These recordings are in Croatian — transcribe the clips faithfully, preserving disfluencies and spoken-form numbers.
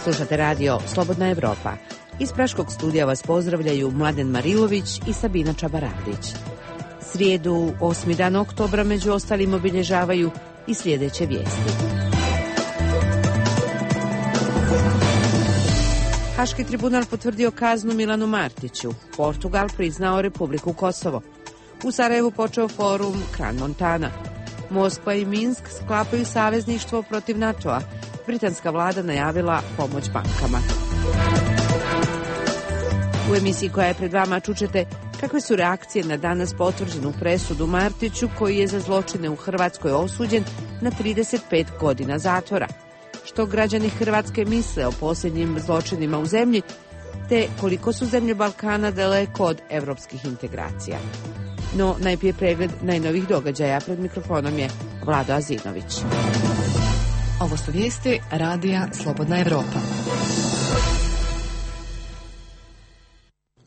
Slušate radio Slobodna Evropa. Iz Praškog studija vas pozdravljaju Mladen Marilović i Sabina Čabarandić. Srijedu, osmi dan oktobra, među ostalim obilježavaju i sljedeće vijesti. Haški tribunal potvrdio kaznu Milanu Martiću. Portugal priznao Republiku Kosovo. U Sarajevu počeo forum Kran Montana. Moskva i Minsk sklapaju savezništvo protiv NATO-a. Britanska vlada najavila pomoć bankama. U emisiji koja je pred vama čućete kakve su reakcije na danas potvrđenu presudu Martiću, koji je za zločine u Hrvatskoj osuđen na trideset pet godina zatvora. Što građani Hrvatske misle o posljednjim zločinima u zemlji, te koliko su zemlje Balkana daleko od evropskih integracija. No, najprije pregled najnovih događaja. Pred mikrofonom je Vlado Azinović. Ovo su vijesti radija Slobodna Evropa.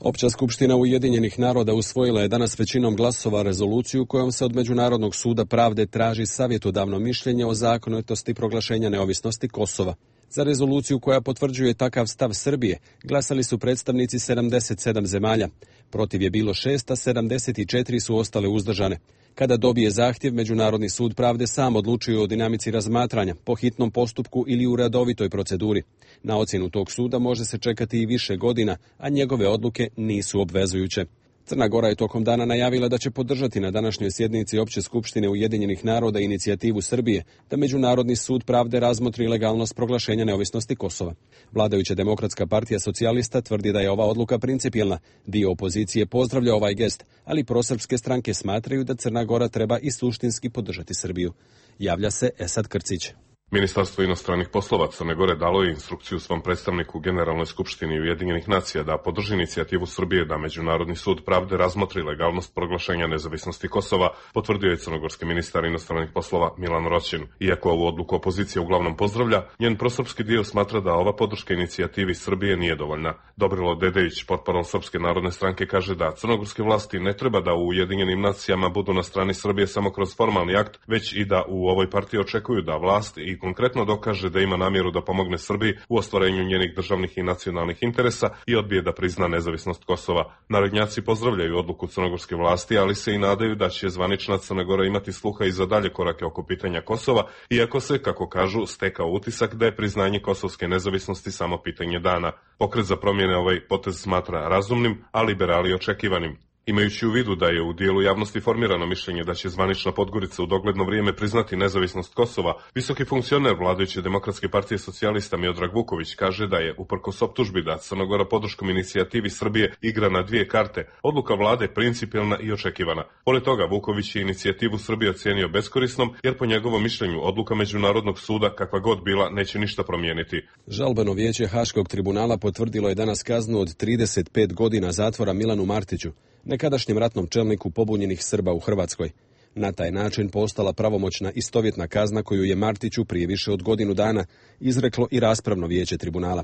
Opća skupština Ujedinjenih naroda usvojila je danas većinom glasova rezoluciju kojom se od Međunarodnog suda pravde traži savjetodavno mišljenje o zakonitosti proglašenja neovisnosti Kosova. Za rezoluciju koja potvrđuje takav stav Srbije glasali su predstavnici sedamdeset sedam zemalja. Protiv je bilo šest, a sedamdeset četiri su ostale uzdržane. Kada dobije zahtjev, Međunarodni sud pravde sam odlučuje o dinamici razmatranja, po hitnom postupku ili u redovitoj proceduri. Na ocjenu tog suda može se čekati i više godina, a njegove odluke nisu obvezujuće. Crna Gora je tokom dana najavila da će podržati na današnjoj sjednici Opće skupštine Ujedinjenih naroda inicijativu Srbije da Međunarodni sud pravde razmotri legalnost proglašenja neovisnosti Kosova. Vladajuća Demokratska partija socijalista tvrdi da je ova odluka principijelna. Dio opozicije pozdravlja ovaj gest, ali prosrpske stranke smatraju da Crna Gora treba i suštinski podržati Srbiju. Javlja se Esad Krcić. Ministarstvo inostranih poslova Crne Gore dalo je instrukciju svom predstavniku u Generalnoj skupštini Ujedinjenih nacija da podrži inicijativu Srbije da Međunarodni sud pravde razmotri legalnost proglašenja nezavisnosti Kosova, potvrdio je crnogorski ministar inostranih poslova Milan Roćin. Iako ovu odluku opozicija uglavnom pozdravlja, njen prosrpski dio smatra da ova podrška inicijativi Srbije nije dovoljna. Dobrilo Dedejić, portparol Srpske narodne stranke, kaže da crnogorske vlasti ne treba da u Ujedinjenim nacijama budu na strani Srbije samo kroz formalni akt, već i da u ovoj partiji očekuju da vlast i konkretno dokaže da ima namjeru da pomogne Srbiji u ostvarenju njenih državnih i nacionalnih interesa i odbije da prizna nezavisnost Kosova. Narodnjaci pozdravljaju odluku crnogorske vlasti, ali se i nadaju da će zvanična Crna Gora imati sluha i za dalje korake oko pitanja Kosova, iako se, kako kažu, stekao utisak da je priznanje kosovske nezavisnosti samo pitanje dana. Pokret za promjene ovaj potez smatra razumnim, a liberali očekivanim. Imajući u vidu da je u dijelu javnosti formirano mišljenje da će zvanična Podgorica u dogledno vrijeme priznati nezavisnost Kosova, visoki funkcioner vladajuće Demokratske partije socijalista Miodrag Vuković kaže da je, uprkos optužbi da Crna Gora podrškom inicijativi Srbije igra na dvije karte, odluka vlade principijelna i očekivana. Pored toga, Vuković je inicijativu Srbije ocijenio beskorisnom, jer po njegovom mišljenju odluka Međunarodnog suda, kakva god bila, neće ništa promijeniti. Žalbeno vijeće Haškog tribunala potvrdilo je danas kaznu od trideset pet godina zatvora Milanu Martiću, nekadašnjem ratnom čelniku pobunjenih Srba u Hrvatskoj. Na taj način postala pravomoćna istovjetna kazna koju je Martiću prije više od godinu dana izreklo i raspravno vijeće tribunala.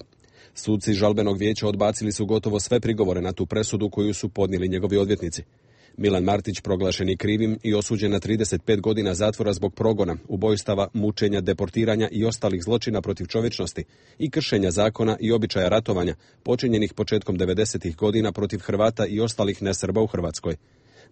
Suci žalbenog vijeća odbacili su gotovo sve prigovore na tu presudu koju su podnijeli njegovi odvjetnici. Milan Martić proglašen je krivim i osuđen na trideset pet godina zatvora zbog progona, ubojstava, mučenja, deportiranja i ostalih zločina protiv čovječnosti i kršenja zakona i običaja ratovanja počinjenih početkom devedesetih godina protiv Hrvata i ostalih nesrba u Hrvatskoj.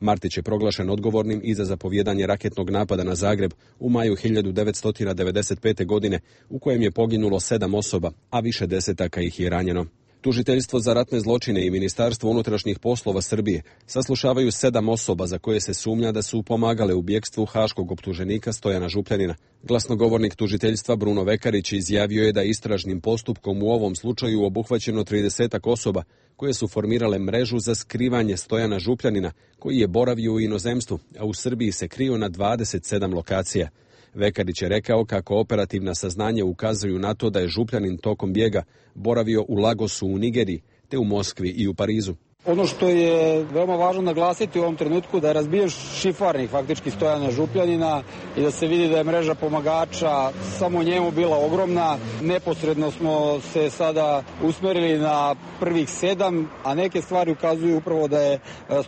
Martić je proglašen odgovornim i za zapovjedanje raketnog napada na Zagreb u maju hiljadu devetsto devedeset pete. godine, u kojem je poginulo sedam osoba, a više desetaka ih je ranjeno. Tužiteljstvo za ratne zločine i Ministarstvo unutrašnjih poslova Srbije saslušavaju sedam osoba za koje se sumnja da su pomagale u bjegstvu haškog optuženika Stojana Župljanina. Glasnogovornik tužiteljstva Bruno Vekarić izjavio je da istražnim postupkom u ovom slučaju obuhvaćeno tridesetak osoba koje su formirale mrežu za skrivanje Stojana Župljanina, koji je boravio u inozemstvu, a u Srbiji se krio na dvadeset sedam lokacija. Vekarić je rekao kako operativna saznanja ukazuju na to da je Župljanin tokom bijega boravio u Lagosu u Nigeriji, te u Moskvi i u Parizu. Ono što je veoma važno naglasiti u ovom trenutku da je razbijen šifarnik faktički Stojana Župljanina i da se vidi da je mreža pomagača samo njemu bila ogromna. Neposredno smo se sada usmerili na prvih sedam, a neke stvari ukazuju upravo da je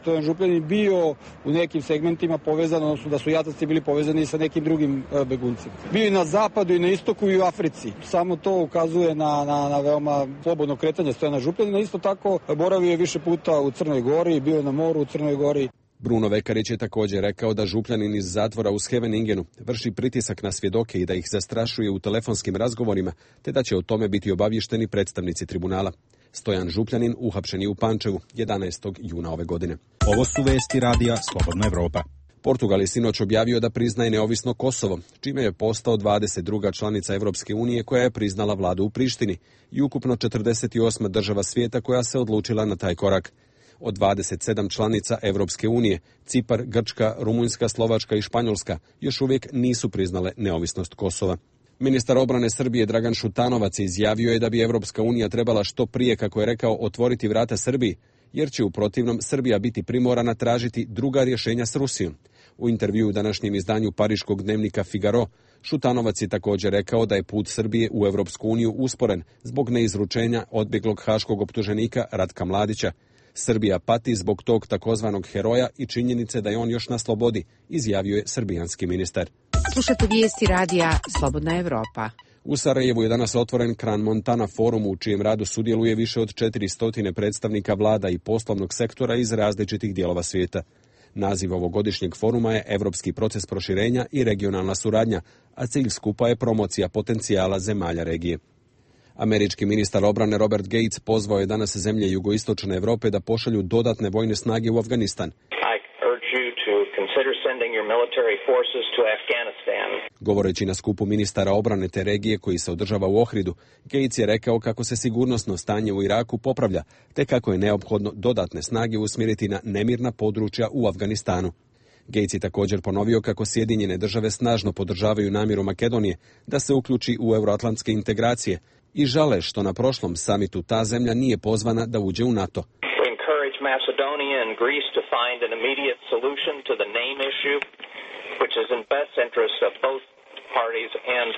Stojan Župljanin bio u nekim segmentima povezan, odnosno da su jataci bili povezani sa nekim drugim beguncima. Bio i na zapadu i na istoku i u Africi. Samo to ukazuje na, na, na veoma slobodno kretanje Stojana Župljanina. Isto tako boravio je više puta u Crnoj Gori, bio na moru u Crnoj Gori. Bruno Vekarić je također rekao da Župljanin iz zatvora u Scheveningenu vrši pritisak na svjedoke i da ih zastrašuje u telefonskim razgovorima, te da će o tome biti obavješteni predstavnici tribunala. Stojan Župljanin uhapšen je u Pančevu jedanaestog juna ove godine. Ovo su vesti radija Slobodna Evropa. Portugal je sinoć objavio da priznaje neovisno Kosovo, čime je postao dvadeset druga članica Evropske unije koja je priznala vladu u Prištini i ukupno četrdeset osma država svijeta koja se odlučila na taj korak. Od dvadeset sedam članica Evropske unije, Cipar, Grčka, Rumunjska, Slovačka i Španjolska još uvijek nisu priznale neovisnost Kosova. Ministar obrane Srbije Dragan Šutanovac izjavio je da bi Evropska unija trebala što prije, kako je rekao, otvoriti vrata Srbiji, jer će u protivnom Srbija biti primorana tražiti druga rješenja s Rusijom. U intervjuu u današnjem izdanju pariškog dnevnika Figaro, Šutanovac je također rekao da je put Srbije u Evropsku uniju usporen zbog neizručenja odbjeglog haškog optuženika Ratka Mladića. Srbija pati zbog tog takozvanog heroja i činjenice da je on još na slobodi, izjavio je srbijanski ministar. Slušate vijesti radija Slobodna Evropa. U Sarajevu je danas otvoren Kran Montana forum u čijem radu sudjeluje više od četiristo predstavnika vlada i poslovnog sektora iz različitih dijelova svijeta. Naziv ovogodišnjeg foruma je Evropski proces proširenja i regionalna suradnja, a cilj skupa je promocija potencijala zemalja regije. Američki ministar obrane Robert Gates pozvao je danas zemlje jugoistočne Europe da pošalju dodatne vojne snage u Afganistan. Govoreći na skupu ministara obrane te regije koji se održava u Ohridu, Gates je rekao kako se sigurnosno stanje u Iraku popravlja, te kako je neophodno dodatne snage usmjeriti na nemirna područja u Afganistanu. Gates je također ponovio kako Sjedinjene države snažno podržavaju namjeru Makedonije da se uključi u euroatlantske integracije i žale što na prošlom samitu ta zemlja nije pozvana da uđe u NATO. Macedonia and Greece to find an immediate solution to the name issue, which is in best interest of both parties and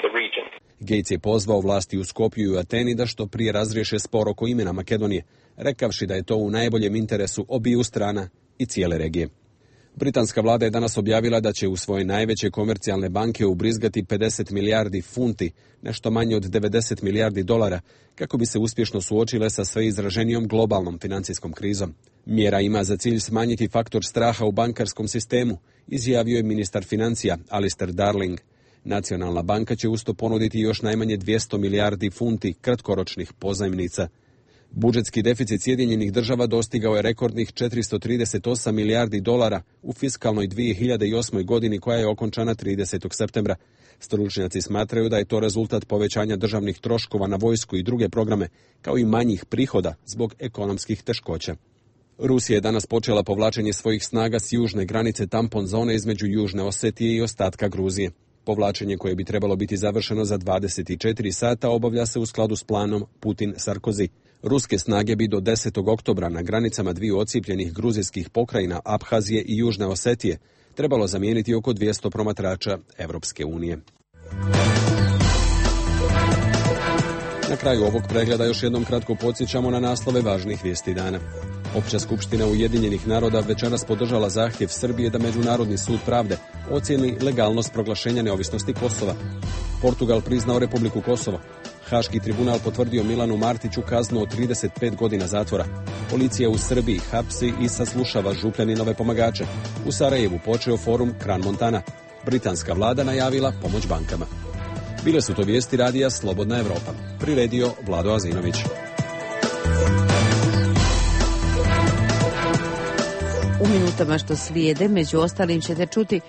the region. Gates je pozvao vlasti u Skopju i Ateni da što prije razriješe spor oko imena Makedonije, rekavši da je to u najboljem interesu obiju strana i cijele regije. Britanska vlada je danas objavila da će u svoje najveće komercijalne banke ubrizgati pedeset milijardi funti, nešto manje od devedeset milijardi dolara, kako bi se uspješno suočile sa sve izraženijom globalnom financijskom krizom. Mjera ima za cilj smanjiti faktor straha u bankarskom sistemu, izjavio je ministar financija Alistair Darling. Nacionalna banka će usto ponuditi još najmanje dvjesto milijardi funti kratkoročnih pozajmnica. Budžetski deficit Sjedinjenih država dostigao je rekordnih četiristo trideset osam milijardi dolara u fiskalnoj dvije hiljade osmoj godini koja je okončana tridesetog septembra. Stručnjaci smatraju da je to rezultat povećanja državnih troškova na vojsku i druge programe, kao i manjih prihoda zbog ekonomskih teškoća. Rusija je danas počela povlačenje svojih snaga s južne granice tampon zone između Južne Osetije i ostatka Gruzije. Povlačenje koje bi trebalo biti završeno za dvadeset četiri sata obavlja se u skladu s planom Putin-Sarkozy. Ruske snage bi do desetog oktobra na granicama dviju ocijepljenih gruzijskih pokrajina Abhazije i Južne Osetije trebalo zamijeniti oko dvjesto promatrača Evropske unije. Na kraju ovog pregleda još jednom kratko podsjećamo na naslove važnih vijesti dana. Opća skupština Ujedinjenih naroda večeras podržala zahtjev Srbije da Međunarodni sud pravde ocijeni legalnost proglašenja neovisnosti Kosova. Portugal priznao Republiku Kosovo. Haški tribunal potvrdio Milanu Martiću kaznu od trideset pet godina zatvora. Policija u Srbiji hapsi i saslušava Župljaninove pomagače. U Sarajevu počeo forum Kran Montana. Britanska vlada najavila pomoć bankama. Bile su to vijesti radija Slobodna Evropa. Priredio Vlado Azinović. U minutama što slijede, među ostalim ćete čuti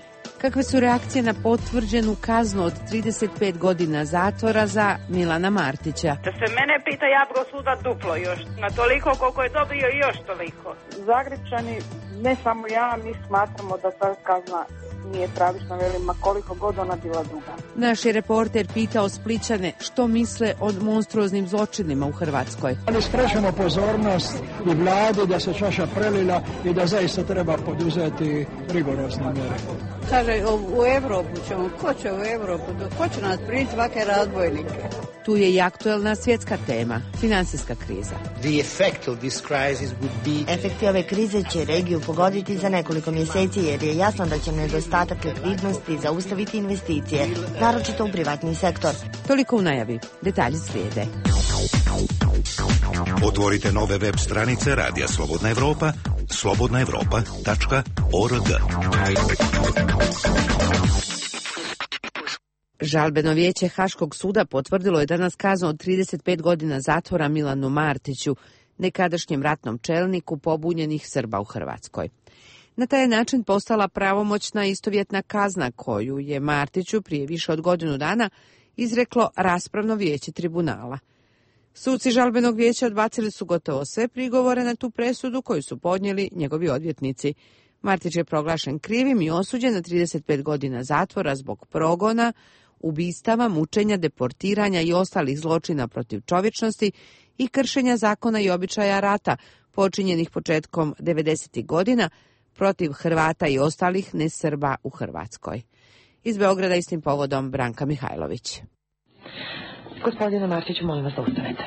Kakve su reakcije na potvrđenu kaznu od trideset pet godina zatvora za Milana Martića? Da se mene pita, ja bi go suda duplo još, na toliko koliko je dobio i još toliko. Zagrepčani, ne samo ja, mi smatramo da ta kazna nije pravična, velima koliko god ona bila duga. Naš je reporter pitao Splićane što misle o monstruoznim zločinima u Hrvatskoj. Ali skrećemo pozornost i vladi da se čaša prelila i da zaista treba poduzeti rigorozne mjere. Kaže, u Evropu ćemo, ko će u Evropu, ko će nas primiti svake razbojnike? Tu je i aktuelna svjetska tema, financijska kriza. Efekti ove krize će regiju pogoditi za nekoliko mjeseci jer je jasno da će nedostatak likvidnosti zaustaviti investicije, naročito u privatni sektor. Toliko u najavi, detalji slijede. Otvorite nove web stranice Radija Slobodna Evropa, slobodna evropa tačka org. Žalbeno vijeće Haškog suda potvrdilo je danas kaznu od trideset pet godina zatvora Milanu Martiću, nekadašnjem ratnom čelniku pobunjenih Srba u Hrvatskoj. Na taj način postala pravomoćna istovjetna kazna koju je Martiću prije više od godinu dana izreklo raspravno vijeće tribunala. Suci žalbenog vijeća odbacili su gotovo sve prigovore na tu presudu koju su podnijeli njegovi odvjetnici. Martić je proglašen krivim i osuđen na trideset pet godina zatvora zbog progona, ubistava, mučenja, deportiranja i ostalih zločina protiv čovječnosti i kršenja zakona i običaja rata počinjenih početkom devedesetih godina protiv Hrvata i ostalih nesrba u Hrvatskoj. Iz Beograda istim povodom Branka Mihajlović. Gospodine Martiću, molim vas da ustanete.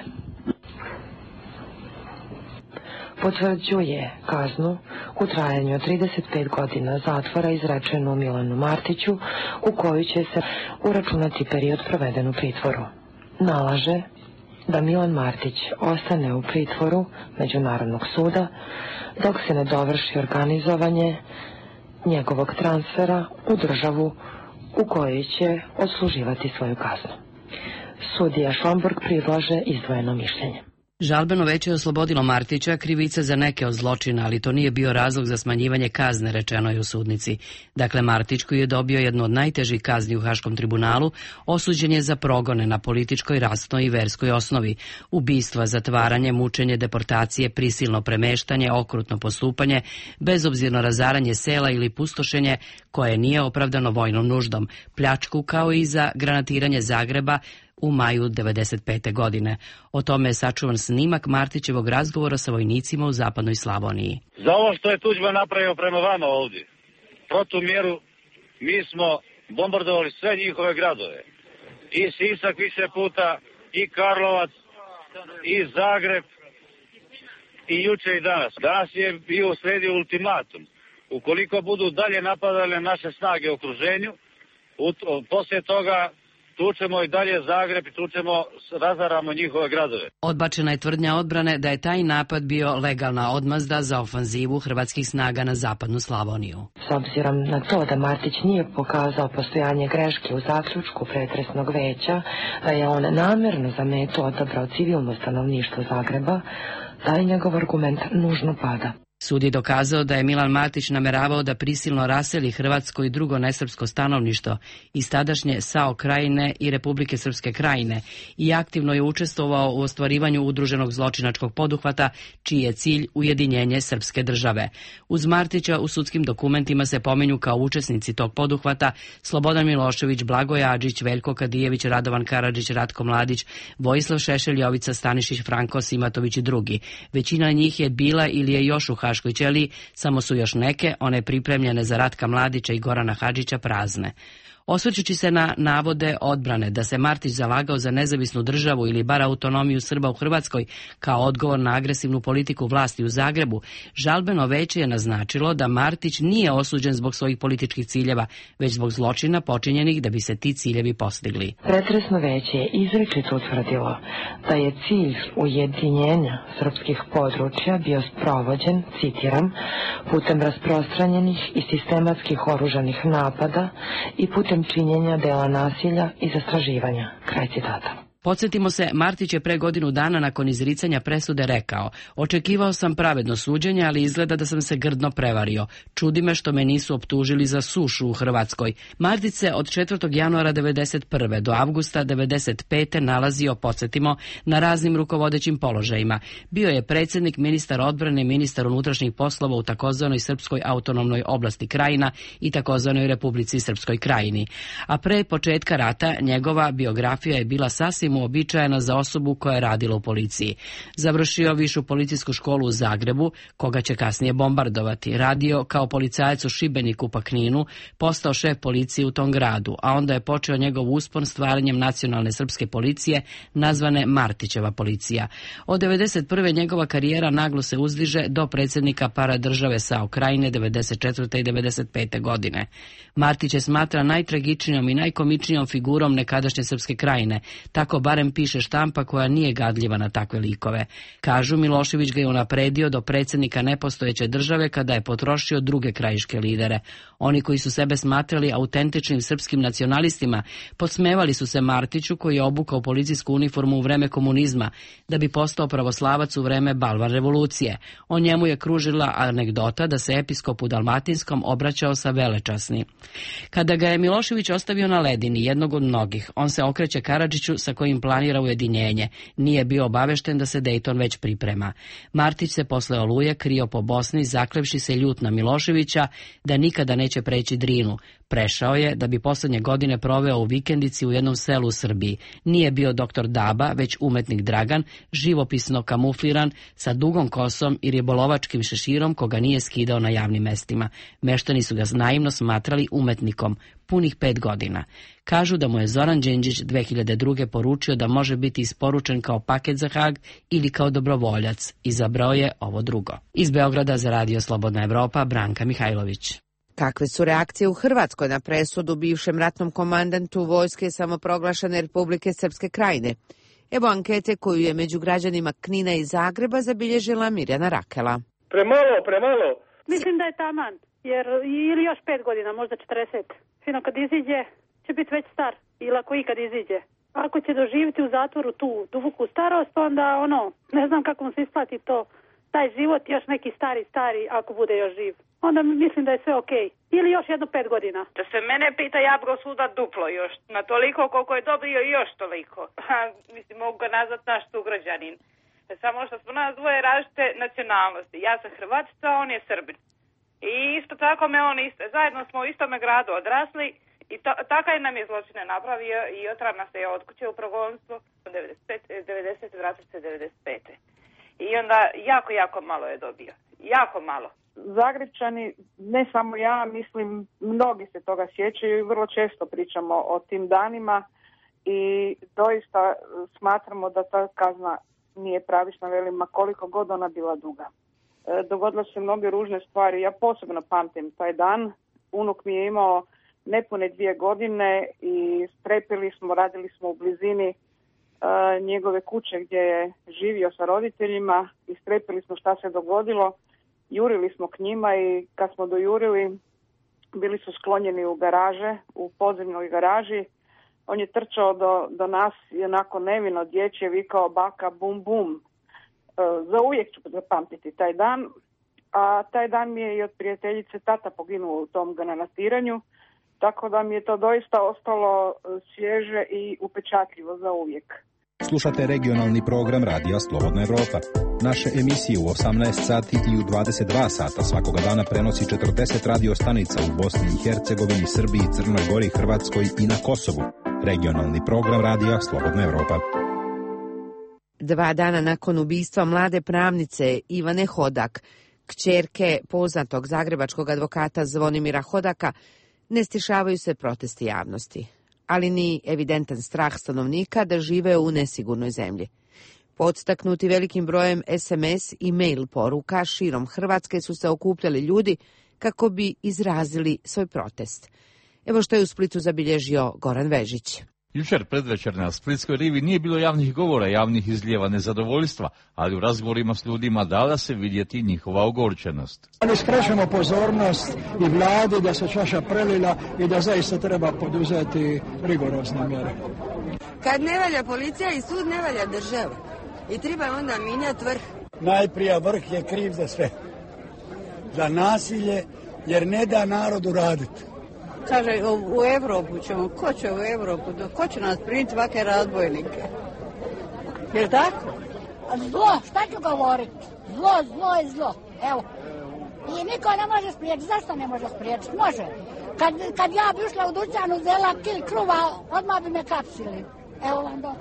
Potvrđuje kaznu u trajanju od trideset pet godina zatvora izrečenu Milanu Martiću, u koju će se uračunati period proveden u pritvoru. Nalaže da Milan Martić ostane u pritvoru Međunarodnog suda dok se ne dovrši organizovanje njegovog transfera u državu u kojoj će odsluživati svoju kaznu. Sudija Šomburg predlaže izdvojeno mišljenje. Žalbeno veće je oslobodilo Martića krivice za neke od zločina, ali to nije bio razlog za smanjivanje kazne, rečeno je u sudnici. Dakle, Martić, koji je dobio jednu od najtežih kazni u Haškom tribunalu, osuđen je za progone na političkoj, rasnoj i verskoj osnovi, ubistva, zatvaranje, mučenje, deportacije, prisilno premeštanje, okrutno postupanje, bezobzirno razaranje sela ili pustošenje koje nije opravdano vojnom nuždom, pljačku kao i za granatiranje Zagreba u maju devedeset pete. godine. O tome je sačuvan snimak Martićevog razgovora sa vojnicima u zapadnoj Slavoniji. Za ovo što je Tuđman napravio prema vama ovdje, protumjeru, mi smo bombardovali sve njihove gradove. I Sisak više puta, i Karlovac, i Zagreb, i juče i danas. Danas je bio usledio ultimatum. Ukoliko budu dalje napadale naše snage u okruženju, poslije toga tučemo i dalje Zagreb i tučemo, razaramo njihove gradove. Odbačena je tvrdnja odbrane da je taj napad bio legalna odmazda za ofanzivu hrvatskih snaga na zapadnu Slavoniju. S obzirom na to da Martić nije pokazao postojanje greške u zaključku pretresnog veća, da je on namjerno za metu odabrao civilno stanovništvo Zagreba, taj njegov argument nužno pada. Sud je dokazao da je Milan Martić nameravao da prisilno raseli hrvatsko i drugo nesrpsko stanovništvo iz tadašnje SAO krajine i Republike Srpske krajine i aktivno je učestvovao u ostvarivanju udruženog zločinačkog poduhvata čiji je cilj ujedinjenje srpske države. Uz Martića u sudskim dokumentima se pominju kao učesnici tog poduhvata Slobodan Milošević, Blagoje Adžić, Veljko Kadijević, Radovan Karadžić, Ratko Mladić, Vojislav Šešelj, Jovica Stanišić, Franko Simatović i drugi. Većina njih je bila ili je još u Haškoj ćeliji, samo su još neke, one pripremljene za Ratka Mladića i Gorana Hadžića, prazne. Osvrćući se na navode odbrane da se Martić zalagao za nezavisnu državu ili bar autonomiju Srba u Hrvatskoj kao odgovor na agresivnu politiku vlasti u Zagrebu, žalbeno veće je naznačilo da Martić nije osuđen zbog svojih političkih ciljeva, već zbog zločina počinjenih da bi se ti ciljevi postigli. Pretresno veće je izričito utvrdilo da je cilj ujedinjenja srpskih područja bio sprovođen, citiram, putem rasprostranjenih i sistematskih oružanih napada i putem činjenja dela nasilja i zastraživanja. Kraj citata. Podsjetimo se, Martić je pre godinu dana nakon izricanja presude rekao: očekivao sam pravedno suđenje, ali izgleda da sam se grdno prevario. Čudi me što me nisu optužili za sušu u Hrvatskoj. Martić se od četvrtog januara devedeset prve do avgusta devedeset pete nalazio, podsjetimo, na raznim rukovodećim položajima. Bio je predsjednik, ministar odbrane, ministar unutrašnjih poslova u takozvanoj Srpskoj autonomnoj oblasti Krajina i takozvanoj Republici Srpskoj Krajini. A pre početka rata njegova biografija je bila sasvim uobičajena za osobu koja je radila u policiji. Završio višu policijsku školu u Zagrebu, koga će kasnije bombardovati. Radio kao policajac u Šibeniku pa Kninu, postao šef policije u tom gradu, a onda je počeo njegov uspon stvaranjem nacionalne srpske policije, nazvane Martićeva policija. Od devedeset prve njegova karijera naglo se uzdiže do predsjednika paradržave SAO Krajine devedeset četvrte i devedeset pete godine. Martić je smatra najtragičnijom i najkomičnijom figurom nekadašnje Srpske Krajine, tako barem piše štampa koja nije gadljiva na takve likove. Kažu, Milošević ga je unapredio do predsjednika nepostojeće države kada je potrošio druge krajiške lidere. Oni koji su sebe smatrali autentičnim srpskim nacionalistima podsmevali su se Martiću, koji je obukao policijsku uniformu u vreme komunizma da bi postao pravoslavac u vreme Balvan revolucije. O njemu je kružila anegdota da se episkop u Dalmatinskom obraćao sa velečasni. Kada ga je Milošević ostavio na ledini, jednog od mnogih, on se okreće Karadžiću sa kojim planira ujedinjenje. Nije bio obavešten da se Dejton već priprema. Martić se posle Oluje krio po Bosni, zaklevši se ljut na Miloševića da nikada neće preći Drinu. Prešao je da bi poslednje godine proveo u vikendici u jednom selu u Srbiji. Nije bio doktor Daba, već umetnik Dragan, živopisno kamufliran, sa dugom kosom i ribolovačkim šeširom koga nije skidao na javnim mestima. Meštani su ga naivno smatrali umetnikom, punih pet godina. Kažu da mu je Zoran Đinđić dve hiljade druge poručio da može biti isporučen kao paket za Hag ili kao dobrovoljac. Izabrao je ovo drugo. Iz Beograda za Radio Slobodna Evropa, Branka Mihajlović. Kakve su reakcije u Hrvatskoj na presudu bivšem ratnom komandantu vojske samoproglašene Republike Srpske Krajine? Evo ankete koju je među građanima Knina i Zagreba zabilježila Mirjana Rakela. Premalo, premalo. Mislim da je taman, jer ili još pet godina, možda četrdeset. Fino kad iziđe, će biti već star, ili ako ikad iziđe. Ako će doživjeti u zatvoru tu duboku starost, onda ono, ne znam kako mu se isplati to, taj život, još neki stari, stari, ako bude još živ. Onda mislim da je sve okej. Okay. Ili još jedno pet godina. Da se mene pita, ja bi ga suda duplo još. Na toliko koliko je dobio i još toliko. Ha, mislim, mogu ga nazvat naš sugrađanin. Samo što smo nas dvoje različite nacionalnosti. Ja sam Hrvatica, on je Srbin. I isto tako me on isto, zajedno smo u istome gradu odrasli i to, takav nam je zločine napravio i otra nas je od kuće u progonstvo devedeset vratio se devedeset pete. I onda jako, jako malo je dobio. Jako malo. Zagrepčani, ne samo ja, mislim, mnogi se toga sjećaju i vrlo često pričamo o tim danima i doista smatramo da ta kazna nije pravična, velim, ma koliko god ona bila duga. E, dogodilo se mnoge ružne stvari, ja posebno pamtim taj dan. Unuk mi je imao nepune dvije godine i strepili smo, radili smo u blizini e, njegove kuće gdje je živio sa roditeljima i strepili smo šta se dogodilo. Jurili smo k njima i kad smo dojurili, bili su sklonjeni u garaže, u podzemnoj garaži. On je trčao do, do nas i onako nevino dječje vikao baka bum bum. E, za uvijek ću zapamtiti taj dan. A taj dan mi je i od prijateljice tata poginuo u tom granatiranju. Tako da mi je to doista ostalo svježe i upečatljivo za uvijek. Slušate regionalni program Radija Slobodna Evropa. Naše emisije u osamnaest sati i u dvadeset dva sata svakoga dana prenosi četrdeset radio stanica u Bosni i Hercegovini, Srbiji, Crnoj Gori, Hrvatskoj i na Kosovu. Regionalni program Radija Slobodna Evropa. Dva dana nakon ubistva mlade pravnice Ivane Hodak, kćerke poznatog zagrebačkog advokata Zvonimira Hodaka, ne stišavaju se protesti javnosti, ali ni evidentan strah stanovnika da žive u nesigurnoj zemlji. Podstaknuti velikim brojem es em es i mail poruka širom Hrvatske su se okupljali ljudi kako bi izrazili svoj protest. Evo što je u Splitu zabilježio Goran Vežić. Jučer predvečer na Splitskoj rivi nije bilo javnih govora, javnih izlijeva nezadovoljstva, ali u razgovorima s ljudima dala se vidjeti njihova ogorčenost. Ali skrećemo pozornost i vladi da se čaša prelila i da zaista treba poduzeti rigorozne mjere. Kad ne valja policija i sud, ne valja država. I treba onda mijenjati vrh. Najprije vrh je kriv za sve. Za nasilje, jer ne da narodu raditi. Kaže, u, u Evropu ćemo, ko će u Evropu, ko će nas primiti ovake razbojnike? Je li tako? Zlo, šta ću govoriti? Zlo, zlo je zlo. Evo. I niko ne može spriječiti. Zašto ne može spriječiti? Može. Kad, kad ja bi ušla u dućanu, zela kil kruva, odmah bi me kapsili. Evo vam do.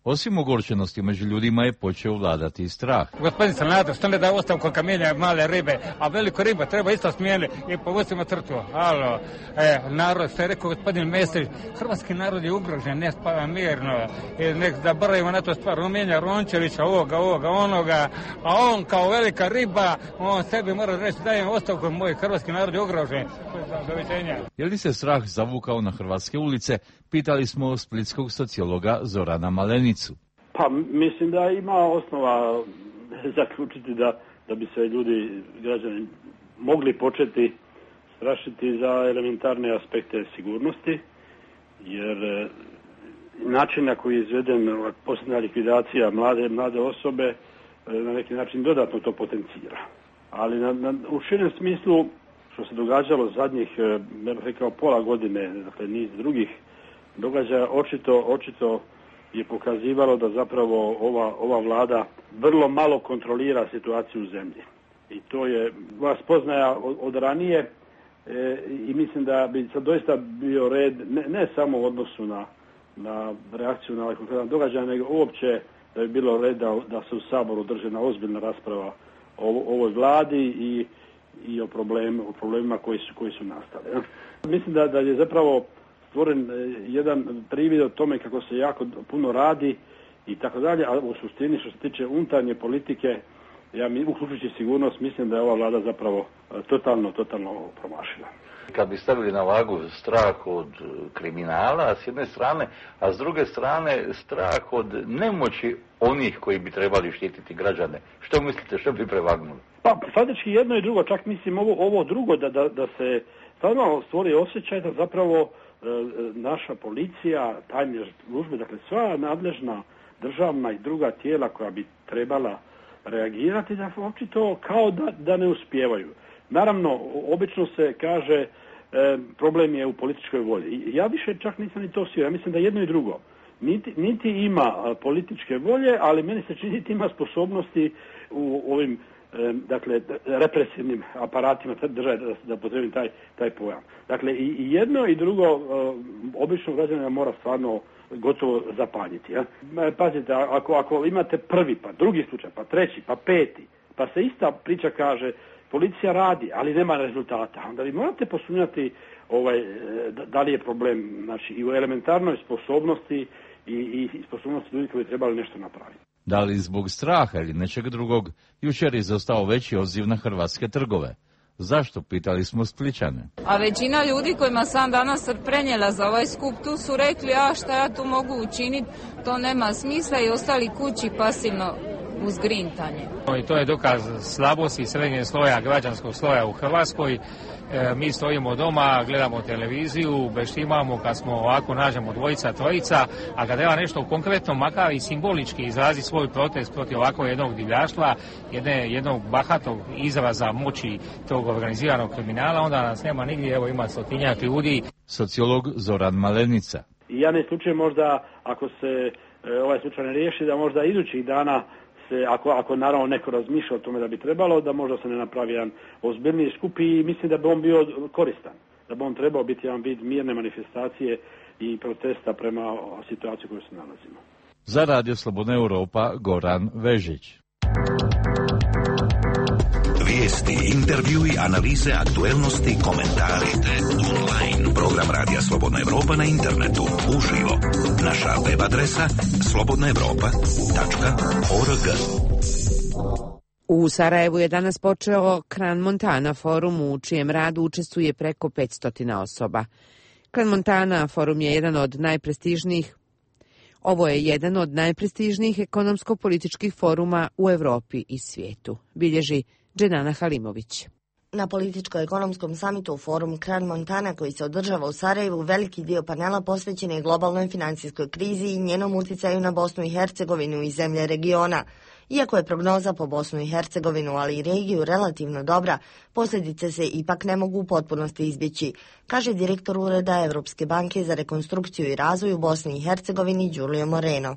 Osim ogorčenosti među ljudima je počeo vladati i strah. Gospodin Sanader, što ne da ostavku kad mijenja male ribe, a veliko riba treba isto smijeniti i povustimo crtu. Alo, e, narod, što je rekao gospodin Mesić, hrvatski narod je ugrožen, ne spava mirno. I nek zaboravimo na to stvar, on mijenja Rončevića, ovoga, ovoga, onoga, a on kao velika riba, on sebi mora reći dajem ostavku, moj hrvatski narod je ugrožen. Doviđenja. Je li se strah zavukao na hrvatske ulice? Pitali smo splitskog sociologa Zorana Malenicu. Pa mislim da ima osnova zaključiti da, da bi se ljudi, građani, mogli početi strašiti za elementarne aspekte sigurnosti, jer način na koji je izveden posljednja likvidacija mlade, mlade osobe na neki način dodatno to potencira. Ali na, na, u širem smislu, što se događalo zadnjih, ne bih rekao, pola godine, dakle niz drugih događaja, očito, očito je pokazivalo da zapravo ova, ova vlada vrlo malo kontrolira situaciju u zemlji. I to je vas poznaja od, od ranije e, i mislim da bi sad doista bio red, ne, ne samo u odnosu na, na reakciju na ovaj konkretan događaj, nego uopće da bi bilo red da, da se u Saboru drži jedna ozbiljna rasprava o ovoj vladi i, i o, problem, o problemima koji su, koji su nastali. Ja. Mislim da, da je zapravo stvoren jedan privid o tome kako se jako puno radi i tako dalje, a u suštini što se tiče unutarnje politike, ja mi, uključujući sigurnost, mislim da je ova vlada zapravo totalno, totalno promašila. Kad bi stavili na vagu strah od kriminala s jedne strane, a s druge strane strah od nemoći onih koji bi trebali štititi građane, što mislite, što bi prevagnuli? Pa, faktički jedno i drugo, čak mislim ovo, ovo drugo, da, da, da se stvarno stvori osjećaj da zapravo naša policija, tajne službe, dakle sva nadležna državna i druga tijela koja bi trebala reagirati, da očito kao da, da ne uspijevaju. Naravno, obično se kaže e, problem je u političkoj volji. Ja više čak nisam ni to siguran. Ja mislim da jedno i drugo. Niti, niti ima političke volje, ali meni se čini niti ima sposobnosti u ovim dakle, represivnim aparatima države, da, da potrebim taj, taj pojam. Dakle, i, i jedno i drugo obično građanina mora stvarno gotovo zapanjiti. Ja? Pazite, ako, ako imate prvi, pa drugi slučaj, pa treći, pa peti, pa se ista priča kaže, policija radi, ali nema rezultata, onda vi morate posumnjati ovaj, da li je problem, znači, i u elementarnoj sposobnosti i, i sposobnosti ljudi koji trebali nešto napraviti. Da li zbog straha ili nečeg drugog, jučer je izostao veći odziv na hrvatske trgove. Zašto, pitali smo Splićane. A većina ljudi kojima sam danas prenijela za ovaj skup tu su rekli, a šta ja tu mogu učiniti, to nema smisla i ostali kući pasivno uz grintanje. I to je dokaz slabosti srednjeg sloja, građanskog sloja u Hrvatskoj. E, mi stojimo doma, gledamo televiziju, beštimamo kad smo ovako nađemo dvojica, trojica, a kad treba nešto konkretno, makar i simbolički izrazi svoj protest protiv ovako jednog divljaštva, jedne, jednog bahatog izraza moći tog organiziranog kriminala, onda nas nema nigdje, evo ima stotinjak ljudi. Sociolog Zoran Malenica. I ja ne slučaj možda, ako se e, ovaj slučaj ne riješi, da možda idućih dana se, ako, ako naravno neko razmišlja o tome da bi trebalo, da možda se ne napravi jedan ozbiljniji skup i mislim da bi on bio koristan. Da bi on trebao biti jedan vid mirne manifestacije i protesta prema situaciji u kojoj se nalazimo. Za Radio Slobodna Europa, Goran Vežić. Vijesti, intervjui, analize, aktuelnosti, komentari. Online. Program Radija Slobodna Europa na internetu. Uživo. Naša web adresa slobodna europa tačka org. U Sarajevu je danas počeo Kran Montana forum u čijem radu učestvuje preko petsto osoba. Kran Montana forum je jedan od najprestižnijih Ovo je jedan od najprestižnijih ekonomsko-političkih foruma u Europi i svijetu, bilježi Dženana Halimović. Na političko-ekonomskom samitu u forum Kran Montana koji se održava u Sarajevu, veliki dio panela posvećen je globalnoj financijskoj krizi i njenom uticaju na Bosnu i Hercegovinu i zemlje regiona. Iako je prognoza po Bosnu i Hercegovinu, ali i regiju relativno dobra, posljedice se ipak ne mogu u potpunosti izbjeći, kaže direktor Ureda Evropske banke za rekonstrukciju i razvoj u Bosni i Hercegovini Giulio Moreno.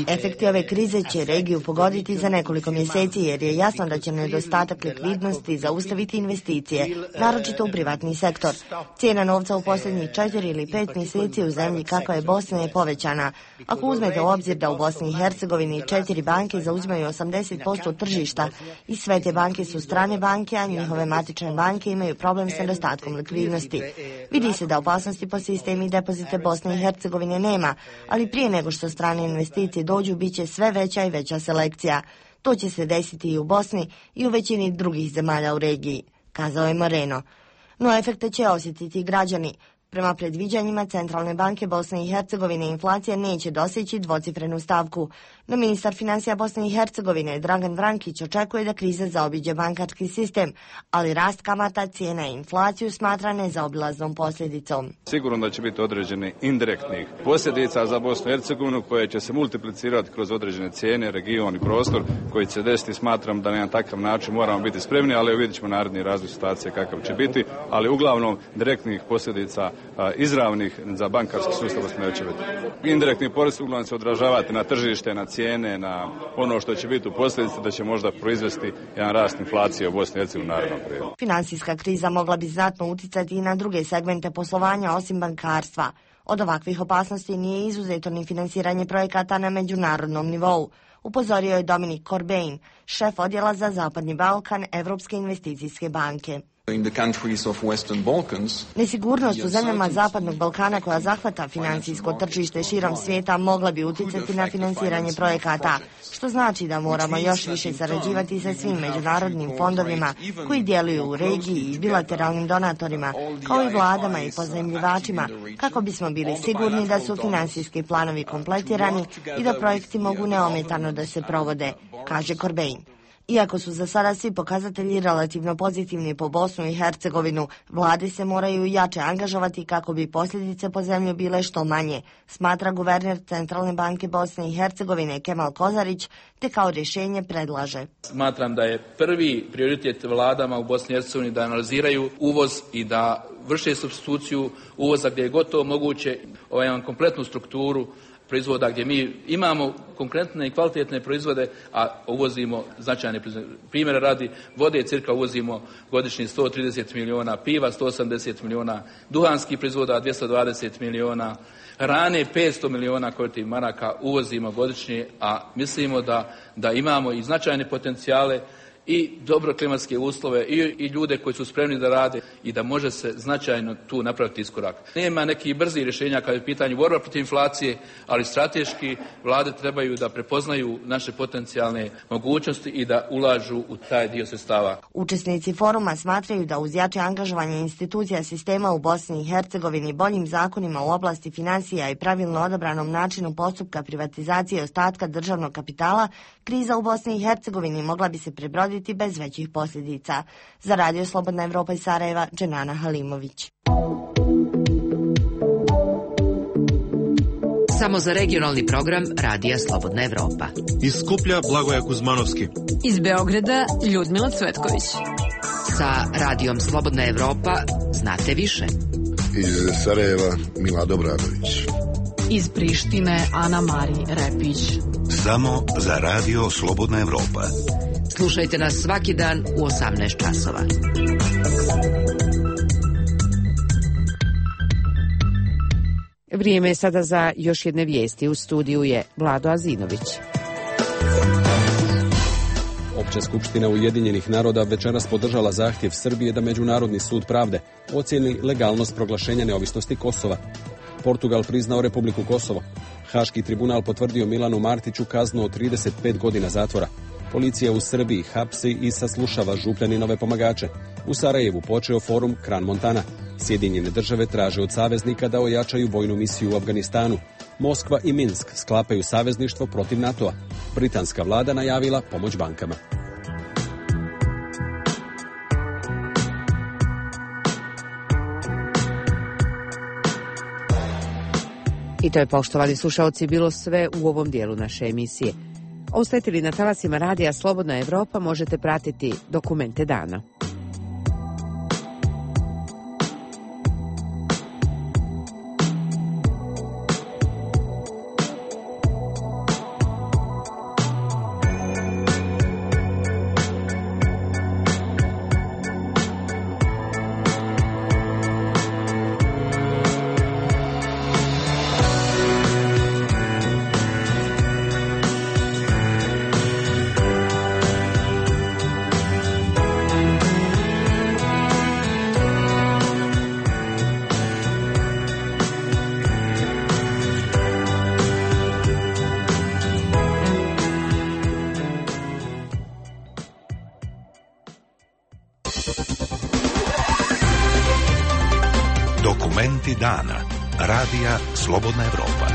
Efekti ove krize će regiju pogoditi za nekoliko mjeseci jer je jasno da će nedostatak likvidnosti zaustaviti investicije, naročito u privatni sektor. Cijena novca u posljednjih četiri ili pet mjeseci u zemlji kakva je Bosna je povećana. Ako uzmete u obzir da u Bosni i Hercegovini četiri banke zauzimaju osamdeset posto tržišta i sve te banke su strane banke, a njihove matične banke imaju problem s nedostatkom likvidnosti. Vidi se da opasnosti po sistemi depozite Bosne i Hercegovine nema, ali prije nego što strane investicije dođu, bit će sve veća i veća selekcija. To će se desiti i u Bosni i u većini drugih zemalja u regiji, kazao je Moreno. No efekte će osjetiti građani. Prema predviđanjima Centralne banke Bosne i Hercegovine inflacija neće doseći dvocifrenu stavku. No ministar financija Bosne i Hercegovine Dragan Vrankić očekuje da kriza zaobiđe bankarski sistem, ali rast kamata, cijena i inflaciju smatra nezaobilaznom posljedicom. Sigurno da će biti određeni indirektnih posljedica za Bosnu i Hercegovinu koje će se multiplicirati kroz određene cijene, region i prostor koji će desiti. Smatram da na jedan takav način moramo biti spremni, ali vidjet ćemo naredni razvoj situacije kakav će biti, ali uglavnom direktnih posljedica a, izravnih za bankarski sustav neće biti. Indirektni porez uglavnom se odražavati na tržište, na cijene, na ono što će biti u posljedici da će možda proizvesti jedan rast inflacije u Bosni i Hercegovini u narednom periodu. Financijska kriza mogla bi znatno uticati i na druge segmente poslovanja osim bankarstva. Od ovakvih opasnosti nije izuzeto ni finansiranje projekata na međunarodnom nivou, upozorio je Dominik Corbein, šef odjela za Zapadni Balkan Evropske investicijske banke. Nesigurnost u zemljama Zapadnog Balkana koja zahvata financijsko tržište širom svijeta mogla bi utjecati na finansiranje projekata, što znači da moramo još više sarađivati sa svim međunarodnim fondovima koji djeluju u regiji i bilateralnim donatorima, kao i vladama i pozajmljivačima, kako bismo bili sigurni da su financijski planovi kompletirani i da projekti mogu neometano da se provode, kaže Corbein. Iako su za sada svi pokazatelji relativno pozitivni po Bosnu i Hercegovinu, vlade se moraju jače angažovati kako bi posljedice po zemlju bile što manje, smatra guverner Centralne banke Bosne i Hercegovine Kemal Kozarić, te kao rješenje predlaže. Smatram da je prvi prioritet vladama u Bosni i Hercegovini da analiziraju uvoz i da vrše supstituciju uvoza gdje je gotovo moguće ovaj kompletnu strukturu proizvoda gdje mi imamo konkretne i kvalitetne proizvode, a uvozimo značajne proizvode. Primjera radi, vode cirka uvozimo godišnje sto trideset milijuna, piva sto osamdeset milijuna, duhanskih proizvoda dvjesto dvadeset milijuna, hrane petsto milijuna korti maraka uvozimo godišnje, a mislimo da, da imamo i značajne potencijale i dobro klimatske uslove i, i ljude koji su spremni da rade i da može se značajno tu napraviti iskorak. Nema nekih brzih rješenja kada je u pitanju borba protiv inflacije, ali strateški vlade trebaju da prepoznaju naše potencijalne mogućnosti i da ulažu u taj dio sredstava. Učesnici foruma smatraju da uz jače angažovanje institucija sistema u Bosni i Hercegovini, boljim zakonima u oblasti financija i pravilno odabranom načinu postupka privatizacije ostatka državnog kapitala, kriza u Bosni i Hercegovini mogla bi se prebroditi bez većih posljedica. Za Radio Slobodna Evropa iz Sarajeva, Dženana Halimović. Samo za regionalni program Radija Slobodna Evropa. Iz Skuplja Blagoja Kuzmanovski. Iz Beograda Ljudmila Cvetković. Sa Radijom Slobodna Evropa znate više. Iz Sarajeva Mila Dobradović. Iz Prištine Ana Mari Repić. Samo za Radio Slobodna Evropa. Slušajte nas svaki dan u osamnaest časova. Vrijeme je sada za još jedne vijesti. U studiju je Vlado Azinović. Opća skupština Ujedinjenih naroda večeras podržala zahtjev Srbije da Međunarodni sud pravde ocijeni legalnost proglašenja neovisnosti Kosova. Portugal priznao Republiku Kosovo. Haški tribunal potvrdio Milanu Martiću kaznu od trideset pet godina zatvora. Policija u Srbiji hapsi i saslušava župljaninove pomagače. U Sarajevu počeo forum Kran Montana. Sjedinjene države traže od saveznika da ojačaju vojnu misiju u Afganistanu. Moskva i Minsk sklapaju savezništvo protiv NATO-a. Britanska vlada najavila pomoć bankama. I to je, poštovani slušaoci, bilo sve u ovom dijelu naše emisije. Ostajete li na talasima radija Slobodna Evropa, možete pratiti Dokumente dana. Dokumenti dana. Radija Slobodna Evropa.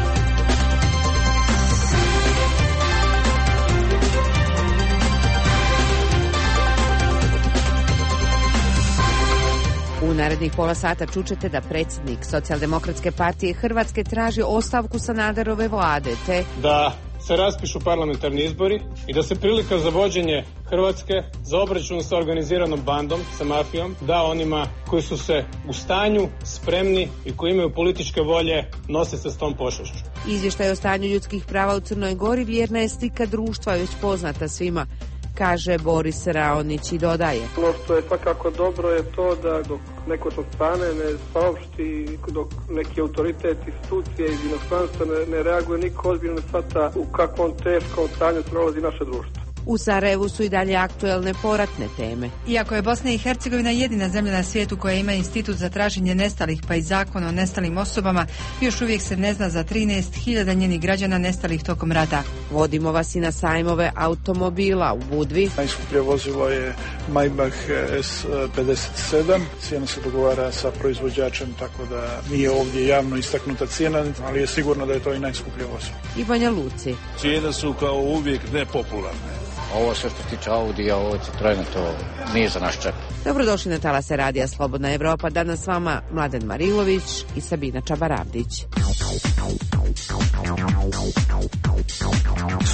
U narednih pola sata čućete da predsjednik Socijaldemokratske partije Hrvatske traži ostavku Sanaderove vlade, te da se raspišu parlamentarni izbori i da se prilika za vođenje Hrvatske, za obračun sa organiziranom bandom, sa mafijom, da onima koji su se u stanju, spremni i koji imaju političke volje nose se s tom pošašću. Izvještaj o stanju ljudskih prava u Crnoj Gori vjerna je slika društva, već poznata svima, kaže Boris Raonić i dodaje. Ono što je svakako dobro je to da dok neko to stane ne saopšti, dok neki autoritet, institucije iz inostranstva ne, ne reaguje, niko ozbiljno ne shvata u kakvom teškom stanju prolazi naše društvo. U Sarajevu su i dalje aktuelne poratne teme. Iako je Bosna i Hercegovina jedina zemlja na svijetu koja ima institut za traženje nestalih pa i zakon o nestalim osobama, još uvijek se ne zna za trinaest hiljada njenih građana nestalih tokom rata. Vodimo vas i na sajmove automobila u Budvi. Najskuplje vozilo je Maybach S pedeset sedam. Cijena se dogovara sa proizvođačem, tako da nije ovdje javno istaknuta cijena, ali je sigurno da je to i najskuplje vozilo. I Banja Luci. Cijene su kao uvijek nepopularne. Ovo sve što se tiče Audija, ovo je Citroena, to nije za naš čep. Dobrodošli na talase radija Slobodna Evropa. Danas s vama Mladen Marilović i Sabina Čabaravdić.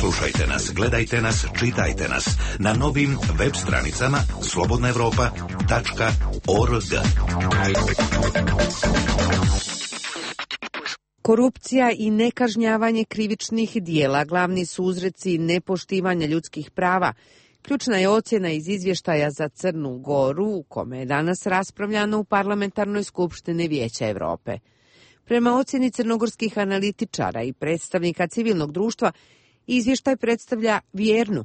Slušajte nas, gledajte nas, čitajte nas na novim web stranicama slobodna evropa tačka org. Korupcija i nekažnjavanje krivičnih dijela glavni su uzreci nepoštivanja ljudskih prava. Ključna je ocjena iz izvještaja za Crnu Goru, u kome je danas raspravljano u Parlamentarnoj skupštini Vijeća Evrope. Prema ocjeni crnogorskih analitičara i predstavnika civilnog društva, izvještaj predstavlja vjernu,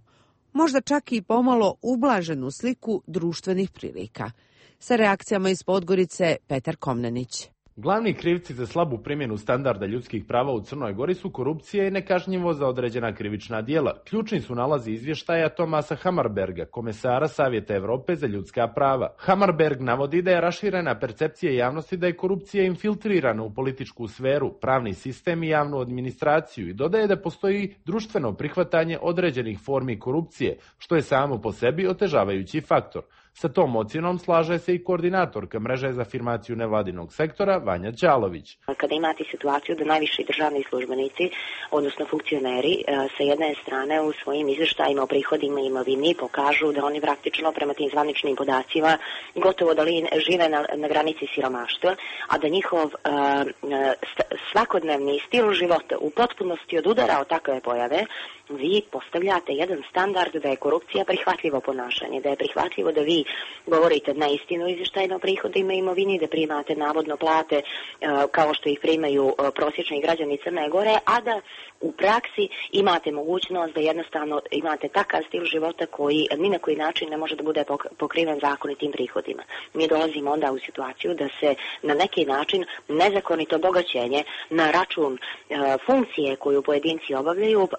možda čak i pomalo ublaženu sliku društvenih prilika. Sa reakcijama iz Podgorice, Petar Komnenić. Glavni krivci za slabu primjenu standarda ljudskih prava u Crnoj Gori su korupcija i nekažnjivo za određena krivična djela. Ključni su nalazi izvještaja Tomasa Hammarberga, komesara Savjeta Evrope za ljudska prava. Hammarberg navodi da je raširena percepcija javnosti da je korupcija infiltrirana u političku sferu, pravni sistem i javnu administraciju i dodaje da postoji društveno prihvatanje određenih formi korupcije, što je samo po sebi otežavajući faktor. Sa tom ocjenom slaže se i koordinatorka mreže za afirmaciju nevladinog sektora Vanja Ćalović. Kada imate situaciju da najviši državni službenici, odnosno funkcioneri, sa jedne strane u svojim izvještajima o prihodima i imovini pokažu da oni praktično prema tim zvaničnim podacima gotovo da li žive na, na granici siromaštva, a da njihov uh, svakodnevni stil života u potpunosti odudara od takve pojave, vi postavljate jedan standard da je korupcija prihvatljivo ponašanje, da je prihvatljivo da vi govorite na istinu izvještajno o prihodima i imovini, da primate navodno plate uh, kao što ih primaju uh, prosječni građani Crne Gore, a da u praksi imate mogućnost da jednostavno imate takav stil života koji ni na koji način ne može da bude pokriven zakonitim prihodima. Mi dolazimo onda u situaciju da se na neki način nezakonito bogaćenje na račun uh, funkcije koju pojedinci obavljaju uh,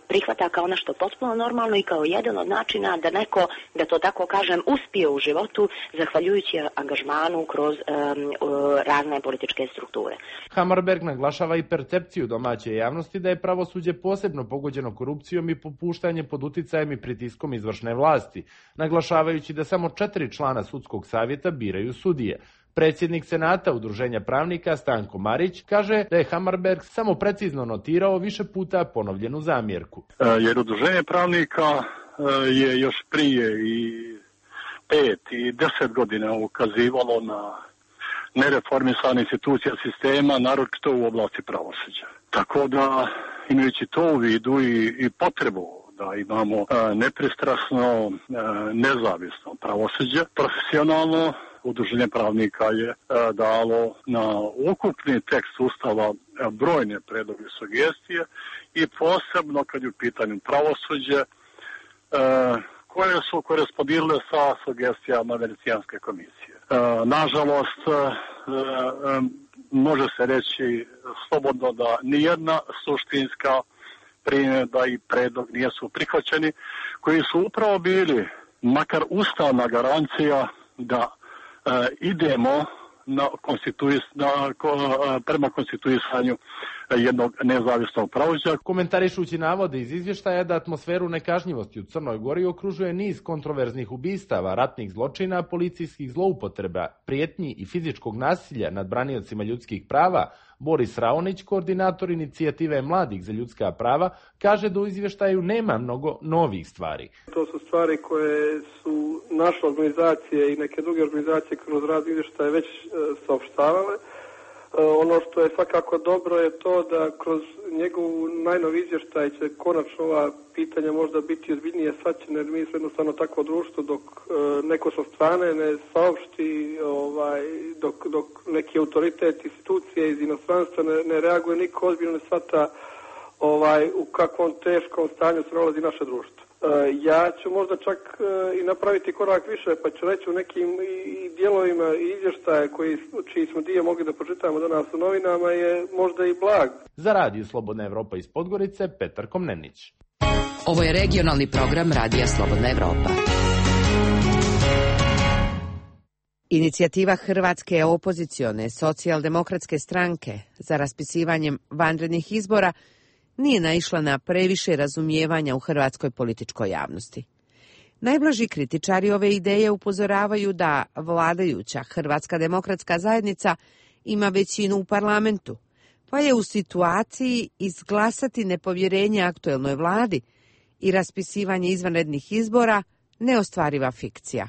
prihvata kao nešto potpuno normalno i kao jedan od načina da neko, da to tako kažem, uspije u životu zahvaljujući angažmanu kroz um, uh, razne političke strukture. Hammarberg naglašava i percepciju domaće javnosti da je pravosuđe posebno pogođeno korupcijom i popuštanje pod uticajem i pritiskom izvršne vlasti, naglašavajući da samo četiri člana sudskog savjeta biraju sudije. Predsjednik Senata Udruženja pravnika Stanko Marić kaže da je Hammarberg samo precizno notirao više puta ponovljenu zamjerku. Jer Udruženje pravnika je još prije i pet i deset godina ukazivalo na nereformisane institucija sistema, naročito u oblasti pravosuđa. Tako da, imajući to u vidu i, i potrebu da imamo a, nepristrasno, a, nezavisno pravosuđe, profesionalno, Udruženje pravnika je a, dalo na ukupni tekst Ustava a, brojne predloge i sugestije i posebno kad je u pitanju pravosuđe, a, koje su korespondirale sa sugestijama Venecijanske komisije. E, nažalost, e, e, može se reći slobodno da nijedna suštinska primjedba i predlog nisu prihvaćeni, koji su upravo bili makar ustavna garancija da e, idemo na konstituis, na, prema konstituisanju jednog nezavisnog pravosuđa. Komentarišući navode iz izvještaja da atmosferu nekažnjivosti u Crnoj Gori okružuje niz kontroverznih ubistava, ratnih zločina, policijskih zloupotreba, prijetnji i fizičkog nasilja nad braniocima ljudskih prava, Boris Raonić, koordinator inicijative Mladih za ljudska prava, kaže da u izvještaju nema mnogo novih stvari. To su stvari koje su naše organizacije i neke druge organizacije kroz rad izvještaje već e, saopštavale. Ono što je svakako dobro je to da kroz njegovu najnovi izvještaj će konačno ova pitanja možda biti ozbiljnije shvaćene, jer mi smo jednostavno takvo društvo dok e, neko sa strane ne saopšti, ovaj, dok, dok neki autoritet, institucije iz inostranstva ne, ne reaguje, niko ozbiljno ne shvata ovaj, u kakvom teškom stanju se nalazi naše društvo. Ja ću možda čak i napraviti korak više, pa ću reći u nekim i dijelovima izvještaja koji, čiji smo dio mogli da pročitamo danas u novinama je možda i blag. Za Radio Slobodna Evropa iz Podgorice, Petar Komnenić. Ovo je regionalni program Radija Slobodna Evropa. Inicijativa Hrvatske opozicione socijaldemokratske stranke za raspisivanjem vanrednih izbora nije naišla na previše razumijevanja u hrvatskoj političkoj javnosti. Najblaži kritičari ove ideje upozoravaju da vladajuća Hrvatska demokratska zajednica ima većinu u parlamentu, pa je u situaciji izglasati nepovjerenje aktuelnoj vladi i raspisivanje izvanrednih izbora neostvariva fikcija,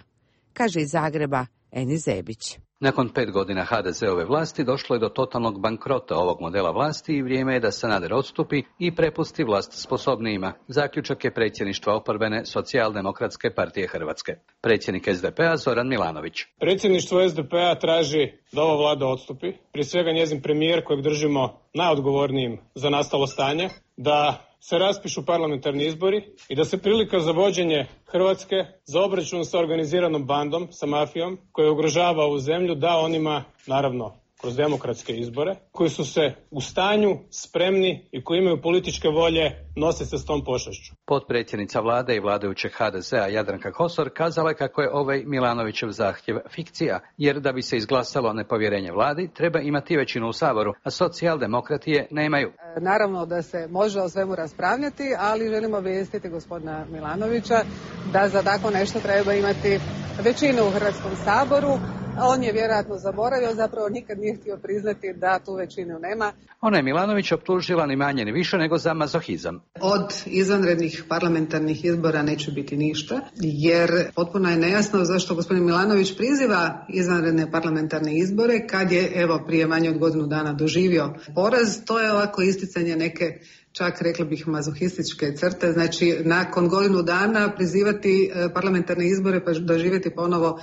kaže iz Zagreba Eni Zebić. Nakon pet godina ha de ze-ove vlasti došlo je do totalnog bankrota ovog modela vlasti i vrijeme je da Sanader odstupi i prepusti vlast sposobnijima. Zaključak je predsjedništva oporbene Socijaldemokratske partije Hrvatske. Predsjednik es de pe a Zoran Milanović. Predsjedništvo es de pe a traži da ova vlada odstupi. Prije svega njezin premijer kojeg držimo najodgovornijim za nastalo stanje, da se raspišu parlamentarni izbori i da se prilika za vođenje Hrvatske za obračun sa organiziranom bandom, sa mafijom, koja ugrožava ovu zemlju, da onima, naravno, kroz demokratske izbore, koji su se u stanju, spremni i koji imaju političke volje nositi se s tom pošašću. Potpredsjednica vlade i vladajućeg ha de ze-a Jadranka Kosor kazala je kako je ovaj Milanovićev zahtjev fikcija, jer da bi se izglasalo nepovjerenje vladi treba imati većinu u Saboru, a socijaldemokrati je nemaju. Naravno da se može o svemu raspravljati, ali želimo obavijestiti gospodina Milanovića da za tako nešto treba imati većinu u Hrvatskom saboru. On je vjerojatno zaboravio, zapravo nikad nije htio priznati da tu većinu nema. Ona je Milanović optužila ni manje ni više nego za mazohizam. Od izvanrednih parlamentarnih izbora neće biti ništa, jer potpuno je nejasno zašto gospodin Milanović priziva izvanredne parlamentarne izbore kad je evo prije manje od godinu dana doživio poraz. To je ovako isticanje neke, čak rekla bih, mazohističke crte, znači nakon godinu dana prizivati parlamentarne izbore pa doživjeti ponovo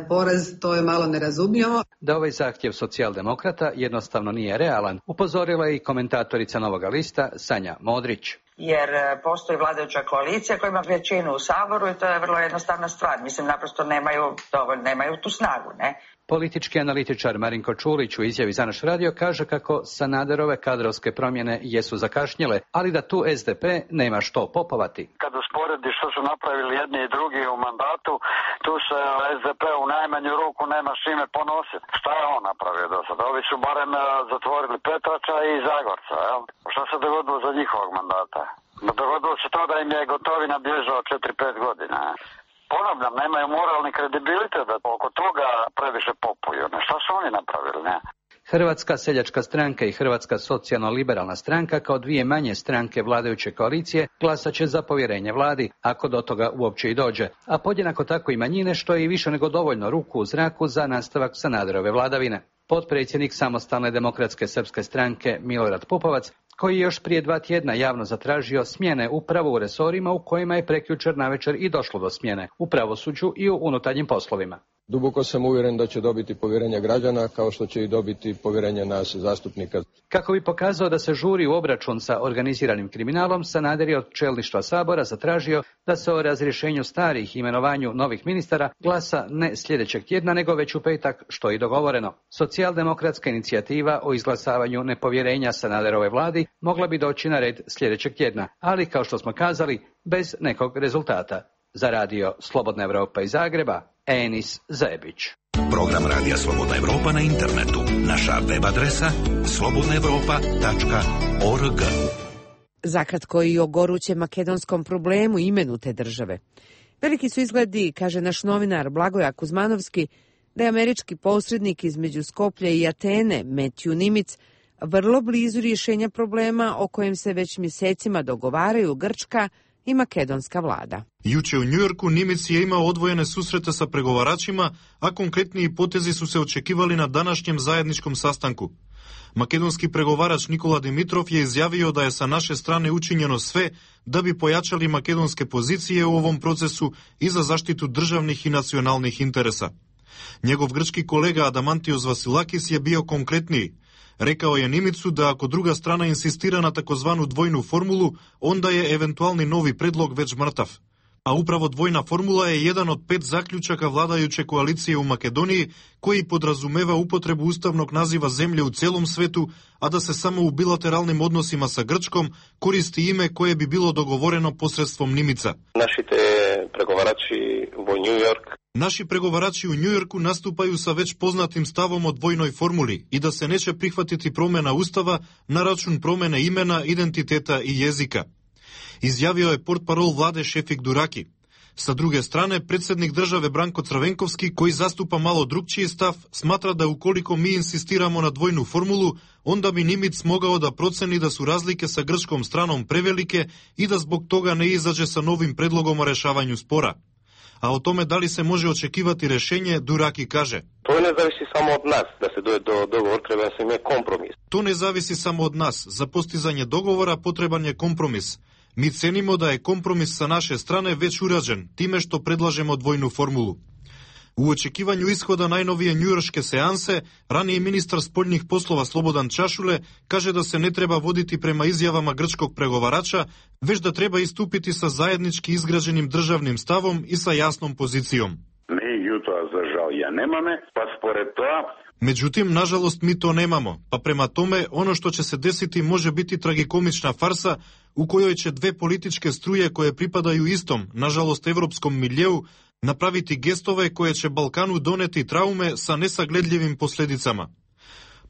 poraz, to je malo nerazumljivo. Da ovaj zahtjev socijaldemokrata jednostavno nije realan, upozorila je i komentatorica Novoga lista Sanja Modrić. Jer postoji vladajuća koalicija koja ima većinu u Saboru i to je vrlo jednostavna stvar. Mislim, naprosto nemaju dovoljno, nemaju tu snagu, ne? Politički analitičar Marinko Čulić u izjavi za naš radio kaže kako Sanaderove kadrovske promjene jesu zakašnjele, ali da tu es de pe nema što popovati. Kad usporedi što su napravili jedni i drugi u mandatu, tu se es de pe u najmanju ruku nema šime ponositi. Šta je on napravio do sada? Ovi su barem zatvorili Petrača i Zagorca, jel? Šta se dogodilo za njihovog mandata? Dogodilo se to da im je Gotovina bježao četiri pet godina. Ponavljam, nemaju moralni kredibilitet da oko toga previše popuju. Šta su Hrvatska seljačka stranka i Hrvatska socijalno-liberalna stranka kao dvije manje stranke vladajuće koalicije glasat će za povjerenje vladi, ako do toga uopće i dođe, a podjednako tako i manjine, što je i više nego dovoljno ruku u zraku za nastavak Sanaderove vladavine. Potpredsjednik Samostalne demokratske srpske stranke Milorad Pupovac, koji je još prije dva tjedna javno zatražio smjene upravo u resorima u kojima je prekjučer navečer i došlo do smjene, u pravosuđu i u unutarnjim poslovima. Duboko sam uvjeren da će dobiti povjerenje građana, kao što će i dobiti povjerenje nas zastupnika. Kako bi pokazao da se žuri u obračun sa organiziranim kriminalom, Sanader je od čelništva Sabora zatražio da se o razrješenju starih i imenovanju novih ministara glasa ne sljedećeg tjedna, nego već u petak, što je i dogovoreno. Socijaldemokratska inicijativa o izglasavanju nepovjerenja Sanaderove vladi mogla bi doći na red sljedećeg tjedna, ali kao što smo kazali, bez nekog rezultata. Za radio Slobodna Evropa iz Zagreba, Enis Zebić. Program Radija Slobodna Evropa na internetu. Naša web adresa slobodna evropa tačka org. Zakratko i o gorućem makedonskom problemu i imenu te države. Veliki su izgledi, kaže naš novinar Blagoje Kuzmanovski, da je američki posrednik između Skoplja i Atene, Matthew Nimitz, vrlo blizu rješenja problema o kojem se već mjesecima dogovaraju grčka i makedonska vlada. Juče u Njujorku Nimitz je imao odvojene susrete sa pregovaračima, a konkretniji potezi su se očekivali na današnjem zajedničkom sastanku. Makedonski pregovarač Nikola Dimitrov je izjavio da je sa naše strane učinjeno sve da bi pojačali makedonske pozicije u ovom procesu i za zaštitu državnih i nacionalnih interesa. Njegov grčki kolega Adamantios Vasilakis je bio konkretniji. Rekao je Nimicu da ako druga strana insistira na takozvanu dvojnu formulu, onda je eventualni novi predlog već mrtav. A upravo dvojna formula je jedan od pet zaključaka vladajuće koalicije u Makedoniji, koji podrazumeva upotrebu ustavnog naziva zemlje u cijelom svetu, a da se samo u bilateralnim odnosima sa Grčkom koristi ime koje bi bilo dogovoreno posredstvom Nimica. Našite pregovarači u New York. Naši pregovarači u Njujorku nastupaju sa već poznatim stavom o dvojnoj formuli i da se neće prihvatiti promjena ustava na račun promjene imena, identiteta i jezika. Izjavio je portparol vlade Šefik Duraki. Sa druge strane, predsjednik države Branko Crvenkovski, koji zastupa malo drukčiji stav, smatra da ukoliko mi insistiramo na dvojnu formulu, onda bi Nimitz mogao da proceni da su razlike sa grčkom stranom prevelike i da zbog toga ne izađe sa novim predlogom o rješavanju spora. A o tome da li se može očekivati rješenje, Duraki kaže: To ne zavisi samo od nas, da se dođe do dogovor, treba se ime kompromis. To ne zavisi samo od nas, za postizanje dogovora potreban je kompromis. Mi cenimo da je kompromis sa naše strane već urađen, time što predlažemo dvojnu formulu. U očekivanju ishoda najnovije njujorške seanse, raniji ministar spoljnih poslova Slobodan Čašule kaže da se ne treba voditi prema izjavama grčkog pregovarača, već da treba istupiti sa zajednički izgrađenim državnim stavom i sa jasnom pozicijom. Međutim, nažalost, mi to nemamo, pa prema tome ono što će se desiti može biti tragikomična farsa u kojoj će dve političke struje koje pripadaju istom, nažalost, evropskom miljeu, napraviti gestove koje će Balkanu doneti traume sa nesagledljivim posljedicama.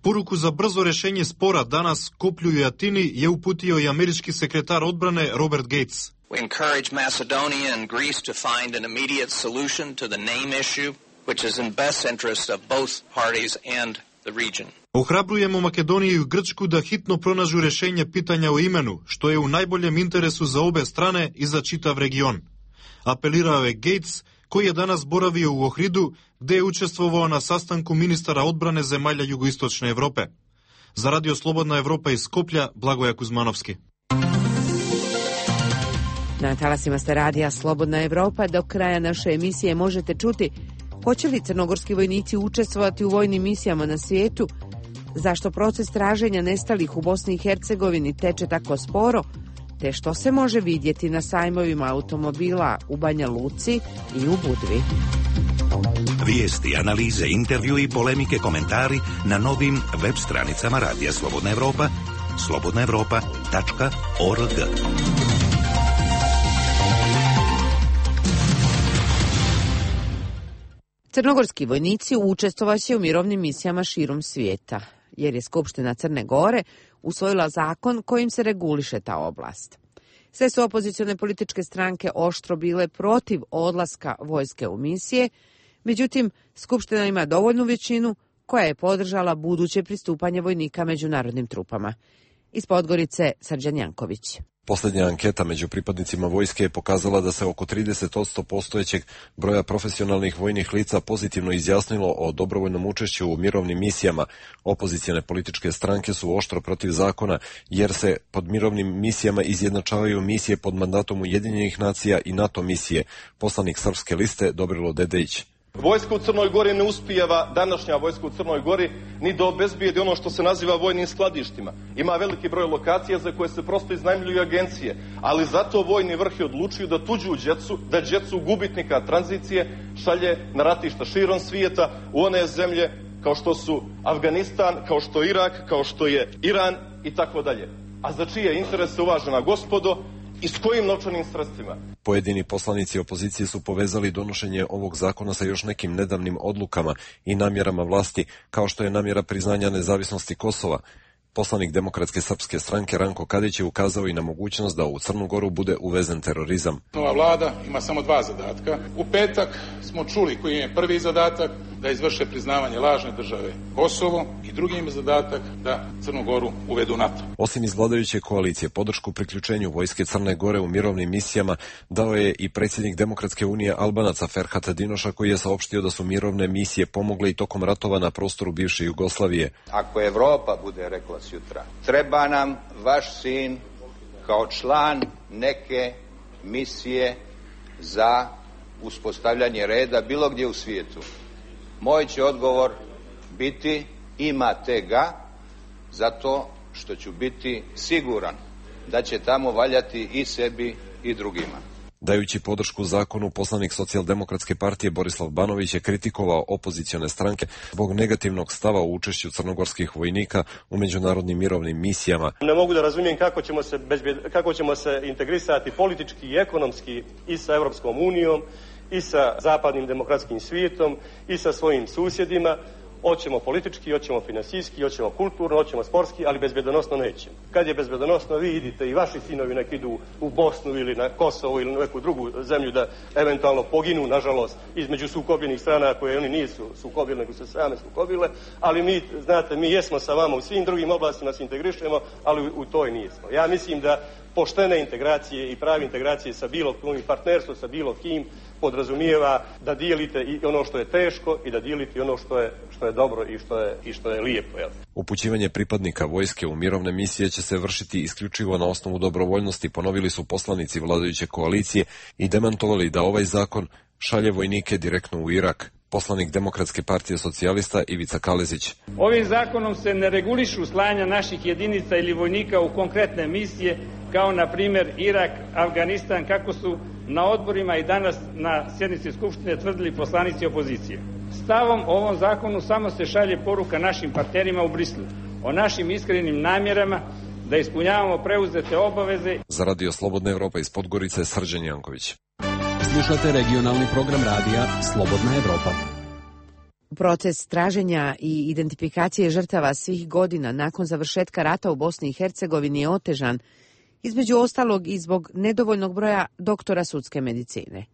Poruku za brzo rješenje spora danas Skoplju i Atini je uputio i američki sekretar odbrane Robert Gates. We encourage Macedonia and Greece to find an immediate solution to the name issue, which is in best interest of both parties and the region. Ohrabrujemo Makedoniju i Grčku da hitno pronađu rješenje pitanja o imenu, što je u najboljem interesu za obe strane i za čitav region. Apelirao je Gates, koji je danas boravio u Ohridu, gdje je učestvovao na sastanku ministara odbrane zemalja jugoistočne Europe. Za radio Slobodna Evropa iz Skoplja, Blagoje Kuzmanovski. Na talasima ste radija Slobodna Evropa. Do kraja naše emisije možete čuti hoće li crnogorski vojnici učestvovati u vojnim misijama na svijetu, zašto proces traženja nestalih u Bosni i Hercegovini teče tako sporo, te što se može vidjeti na sajmovima automobila u Banja Luci i u Budvi. Vijesti, analize, intervju i polemike, komentari na novim web stranicama Radija Slobodna Evropa, slobodna evropa tačka org. Crnogorski vojnici učestvovaće u mirovnim misijama širom svijeta, jer je Skupština Crne Gore usvojila zakon kojim se reguliše ta oblast. Sve su opozicione političke stranke oštro bile protiv odlaska vojske u misije, međutim, Skupština ima dovoljnu većinu koja je podržala buduće pristupanje vojnika međunarodnim trupama. Iz Podgorice, Srđan Janković. Posljednja anketa među pripadnicima vojske je pokazala da se oko trideset posto postojećeg broja profesionalnih vojnih lica pozitivno izjasnilo o dobrovoljnom učešću u mirovnim misijama. Opozicione političke stranke su oštro protiv zakona, jer se pod mirovnim misijama izjednačavaju misije pod mandatom Ujedinjenih nacija i NATO misije. Poslanik Srpske liste Dobrilo Dedejić. Vojska u Crnoj Gori ne uspijeva, današnja vojska u Crnoj Gori, ni da obezbijedi ono što se naziva vojnim skladištima. Ima veliki broj lokacija za koje se prosto iznajmljuju agencije, ali zato vojni vrh je odlučio da tuđu djecu, da djecu gubitnika tranzicije šalje na ratišta širom svijeta u one zemlje kao što su Afganistan, kao što je Irak, kao što je Iran i tako dalje. A za čije interese, uvažena gospodo, i s kojim novčanim sredstvima? Pojedini poslanici opozicije su povezali donošenje ovog zakona sa još nekim nedavnim odlukama i namjerama vlasti, kao što je namjera priznanja nezavisnosti Kosova. Poslanik Demokratske srpske stranke Ranko Kadić je ukazao i na mogućnost da u Crnu Goru bude uvezen terorizam. Nova vlada ima samo dva zadatka. U petak smo čuli koji je prvi zadatak, da izvrše priznavanje lažne države Kosovo, i drugi im zadatak da Crnu Goru uvedu NATO. Osim iz vladajuće koalicije, podršku priključenju vojske Crne Gore u mirovnim misijama dao je i predsjednik Demokratske unije Albanaca Ferhat Dinoša, koji je saopštio da su mirovne misije pomogle i tokom ratova na prostoru bivše Jugoslavije. Ako Evropa bude rekla sutra, treba nam vaš sin kao član neke misije za uspostavljanje reda bilo gdje u svijetu, moj će odgovor biti imate ga, zato što ću biti siguran da će tamo valjati i sebi i drugima. Dajući podršku zakonu, poslanik Socijaldemokratske partije Borislav Banović je kritikovao opozicione stranke zbog negativnog stava u učešću crnogorskih vojnika u međunarodnim mirovnim misijama. Ne mogu da razumijem kako ćemo se, bezbjed, kako ćemo se integrisati politički i ekonomski i sa Europskom unijom, i sa zapadnim demokratskim svijetom, i sa svojim susjedima. Hoćemo politički, hoćemo finansijski, hoćemo kulturno, hoćemo sportski, ali bezbjedonosno nećemo. Kad je bezbjedonosno, vi idite i vaši sinovi nek idu u Bosnu ili na Kosovo ili na neku drugu zemlju da eventualno poginu, nažalost, između sukobljenih strana koje oni nisu sukobile, nego su same sukobile, ali mi, znate, mi jesmo sa vama u svim drugim oblastima, se integrišemo, ali u toj nismo. Ja mislim da poštene integracije i pravi integracije sa bilo kim, partnerstvo sa bilo kim, podrazumijeva da dijelite i ono što je teško i da dijelite i ono što je, što je dobro i što je, i što je lijepo. Jel? Upućivanje pripadnika vojske u mirovne misije će se vršiti isključivo na osnovu dobrovoljnosti, ponovili su poslanici vladajuće koalicije i demantovali da ovaj zakon šalje vojnike direktno u Irak. Poslanik Demokratske partije socijalista Ivica Kalezić. Ovim zakonom se ne regulišu slanja naših jedinica ili vojnika u konkretne misije, kao na primjer Irak, Afganistan, kako su na odborima i danas na sjednici Skupštine tvrdili poslanici opozicije. Stavom o ovom zakonu samo se šalje poruka našim partnerima u Brislu o našim iskrenim namjerama da ispunjavamo preuzete obaveze. Za Radio Slobodna Evropa iz Podgorice, Srđan Janković. Slušate regionalni program radija Slobodna Evropa. Proces traženja i identifikacije žrtava svih godina nakon završetka rata u Bosni i Hercegovini je otežan, između ostalog i zbog nedovoljnog broja doktora sudske medicine.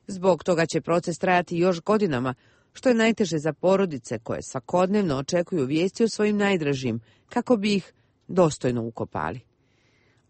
Zbog toga će proces trajati još godinama, što je najteže za porodice koje svakodnevno očekuju vijesti o svojim najdražim, kako bi ih dostojno ukopali.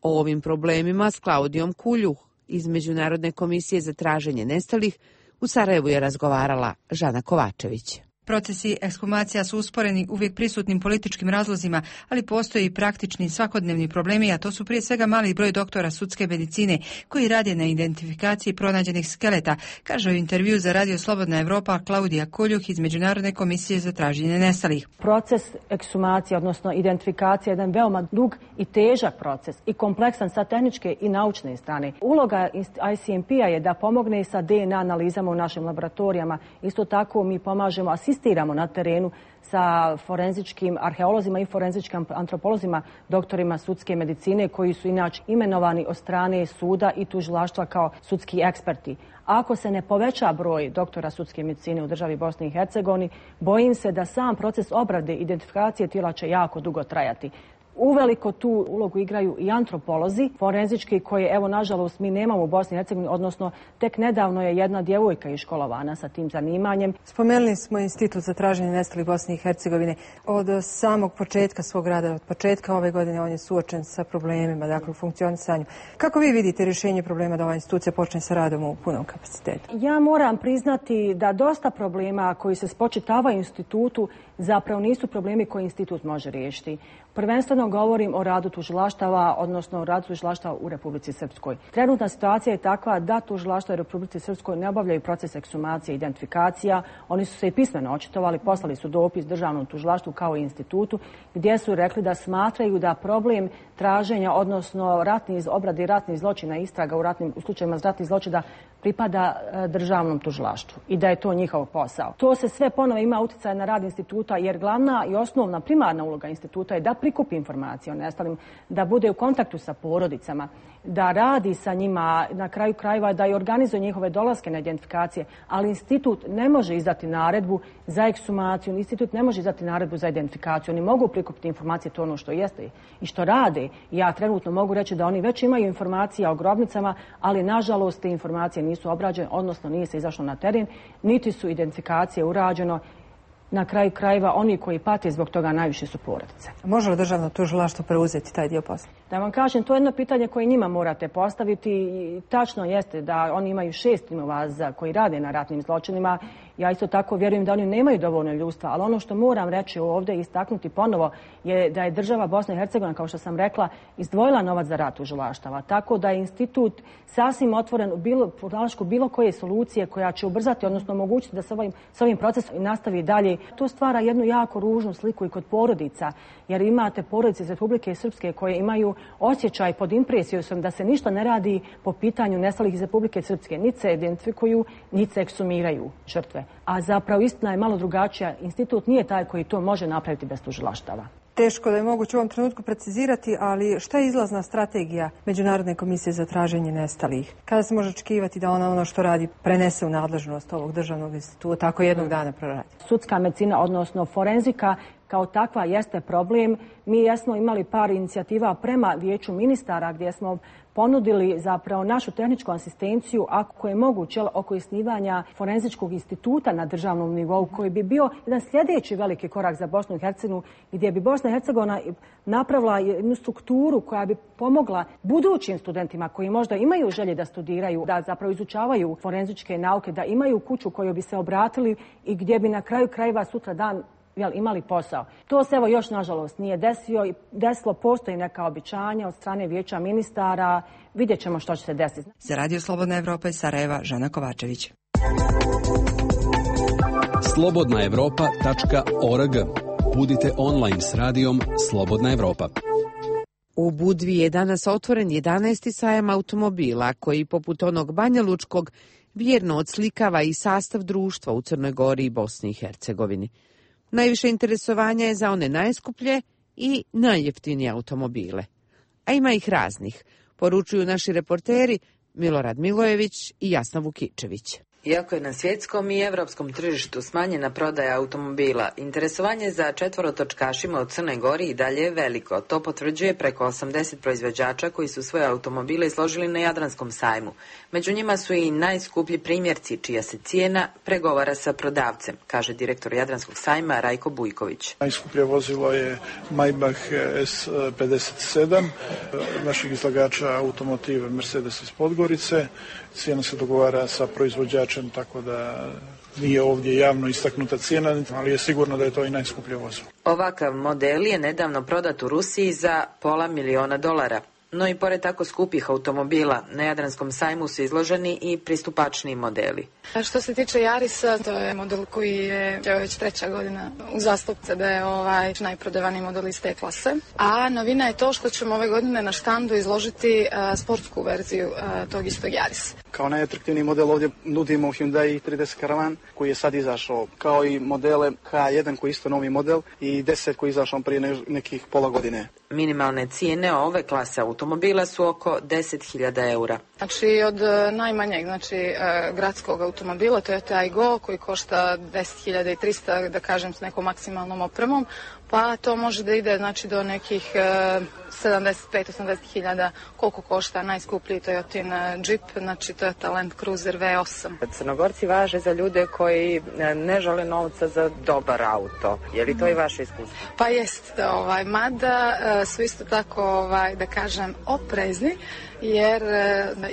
O ovim problemima s Klaudijom Kuljuh iz Međunarodne komisije za traženje nestalih u Sarajevu je razgovarala Žana Kovačević. Procesi ekshumacija su usporeni uvijek prisutnim političkim razlozima, ali postoji i praktični svakodnevni problemi, a to su prije svega mali broj doktora sudske medicine koji rade na identifikaciji pronađenih skeleta, kaže u intervju za Radio Slobodna Evropa Klaudija Kuljuh iz Međunarodne komisije za traženje nestalih. Proces ekshumacije, odnosno identifikacija, je jedan veoma dug i težak proces i kompleksan sa tehničke i naučne strane. Uloga I C M P-a je da pomogne i sa D N A analizama u našim laboratorijama. Isto tako mi pomažemo asistiramo asistiramo na terenu sa forenzičkim arheolozima i forenzičkim antropolozima, doktorima sudske medicine koji su inače imenovani od strane suda i tužilaštva kao sudski eksperti. Ako se ne poveća broj doktora sudske medicine u državi Bosni i Hercegovini, bojim se da sam proces obrade identifikacije tijela će jako dugo trajati. Uveliko tu ulogu igraju i antropolozi, forenzički, koje, evo, nažalost, mi nemamo u Bosni i Hercegovini, odnosno tek nedavno je jedna djevojka iškolovana sa tim zanimanjem. Spomenuli smo Institut za traženje nestalih Bosne i Hercegovine. Od samog početka svog rada, od početka ove godine, on je suočen sa problemima, dakle, u funkcionisanju. Kako vi vidite rješenje problema da ova institucija počne sa radom u punom kapacitetu? Ja moram priznati da dosta problema koji se spočitavaju institutu zapravo nisu problemi koje institut može riješiti. Prvenstveno govorim o radu tužilaštava, odnosno o radu tužilaštava u Republici Srpskoj. Trenutna situacija je takva da tužilaštva u Republici Srpskoj ne obavljaju proces ekshumacije i identifikacija. Oni su se i pismeno očitovali, poslali su dopis državnom tužilaštvu kao i institutu, gdje su rekli da smatraju da problem traženja, odnosno ratnih obrade ratnih zločina, istraga u, ratnim, u slučajima ratnih zločina pripada državnom tužilaštvu i da je to njihov posao. To se sve ponovo ima utjecaj na rad instituta, jer glavna i osnovna primarna uloga instituta je da prikupi informacije o nestalim, da bude u kontaktu sa porodicama, da radi sa njima, na kraju krajeva da i organizuje njihove dolaske na identifikacije, ali institut ne može izdati naredbu za ekshumaciju, institut ne može izdati naredbu za identifikaciju. Oni mogu prikupiti informacije, to ono što jeste i što rade. Ja trenutno mogu reći da oni već imaju informacije o grobnicama, ali nažalost te informacije nisu obrađene, odnosno nije se izašlo na teren, niti su identifikacije urađeno. Na kraju krajeva oni koji pate zbog toga najviše su porodice. Može li državno tužilaštvo preuzeti taj dio posla? Da vam kažem, to je jedno pitanje koje njima morate postaviti. I tačno jeste da oni imaju šest timova za koji rade na ratnim zločinima. Ja isto tako vjerujem da oni nemaju dovoljno ljudstva, ali ono što moram reći ovdje i istaknuti ponovo je da je država Bosna i Hercegovina, kao što sam rekla, izdvojila novac za rad tužilaštava. Tako da je institut sasvim otvoren u bilo, bilo koje solucije koja će ubrzati, odnosno omogućiti da se ovim, s ovim procesom nastavi dalje. To stvara jednu jako ružnu sliku i kod porodica, jer imate porodice iz Republike Srpske koje imaju osjećaj pod impresijom da se ništa ne radi po pitanju nestalih iz Republike Srpske. Niti se identifikuju, niti se eksumiraju žrtve. A zapravo istina je malo drugačija. Institut nije taj koji to može napraviti bez tužilaštava. Teško da je moguće u ovom trenutku precizirati, ali šta je izlazna strategija Međunarodne komisije za traženje nestalih? Kada se može očekivati da ona ono što radi prenese u nadležnost ovog državnog instituta, tako jednog dana proradi? Sudska medicina, odnosno forenzika, kao takva jeste problem. Mi jesmo imali par inicijativa prema Vijeću ministara gdje smo ponudili zapravo našu tehničku asistenciju, ako je moguće, oko osnivanja forenzičkog instituta na državnom nivou, koji bi bio jedan sljedeći veliki korak za Bosnu i Hercegovinu, gdje bi Bosna i Hercegovina napravila jednu strukturu koja bi pomogla budućim studentima koji možda imaju želje da studiraju, da zapravo izučavaju forenzičke nauke, da imaju kuću koju bi se obratili i gdje bi na kraju krajeva sutra dan jel, imali posao. To se evo još nažalost nije desio i desilo, postoji neka obećanja od strane Vijeća ministara, vidjet ćemo što će se desiti. Za Radio Slobodna Evropa iz Sarajeva, Žana Kovačević. slobodna evropa tačka org. Budite online s radijom Slobodna Evropa. U Budvi je danas otvoren jedanaesti sajam automobila koji, poput onog banjalučkog, vjerno odslikava i sastav društva u Crnoj Gori i Bosni i Hercegovini. Najviše interesovanja je za one najskuplje i najjeftinije automobile. A ima ih raznih, poručuju naši reporteri Milorad Milojević i Jasna Vukičević. Iako je na svjetskom i evropskom tržištu smanjena prodaja automobila, interesovanje za četvorotočkašima u Crnoj Gori i dalje je veliko. To potvrđuje preko osamdeset proizvođača koji su svoje automobile izložili na Jadranskom sajmu. Među njima su i najskuplji primjerci, čija se cijena pregovara sa prodavcem, kaže direktor Jadranskog sajma Rajko Bujković. Najskuplje vozilo je Maybach S pedeset sedam, naših izlagača automotive Mercedes iz Podgorice. Cijena se dogovara sa proizvođačem, tako da nije ovdje javno istaknuta cijena, ali je sigurno da je to i najskuplje vozilo. Ovakav model je nedavno prodat u Rusiji za pola miliona dolara. No i pored tako skupih automobila, na Jadranskom sajmu su izloženi i pristupačniji modeli. Što se tiče Yarisa, to je model koji je već treća godina uzastopce da je ovaj najprodavaniji model iz te klase. A novina je to što ćemo ove godine na štandu izložiti uh, sportsku verziju uh, tog istog Yarisa. Kao najatraktivniji model ovdje nudimo Hyundai trideset Caravan koji je sad izašao, kao i modele H jedan koji je isto novi model i deset koji je izašao prije nekih pola godine. Minimalne cijene ove klase automobila su oko deset hiljada eura. Znači od najmanjeg, znači gradskog automobila, to je Aygo koji košta deset hiljada i trista, da kažem, s nekom maksimalnom opremom, pa to može da ide znači do nekih sedamdeset pet do osamdeset hiljada koliko košta najskuplji Toyotin Jeep, znači to je Land Cruiser V osam. Crnogorci važe za ljude koji ne žele novca za dobar auto. Je li to i vaše iskustvo? Pa jest, ovaj, mada su isto tako, ovaj, da kažem, oprezni, jer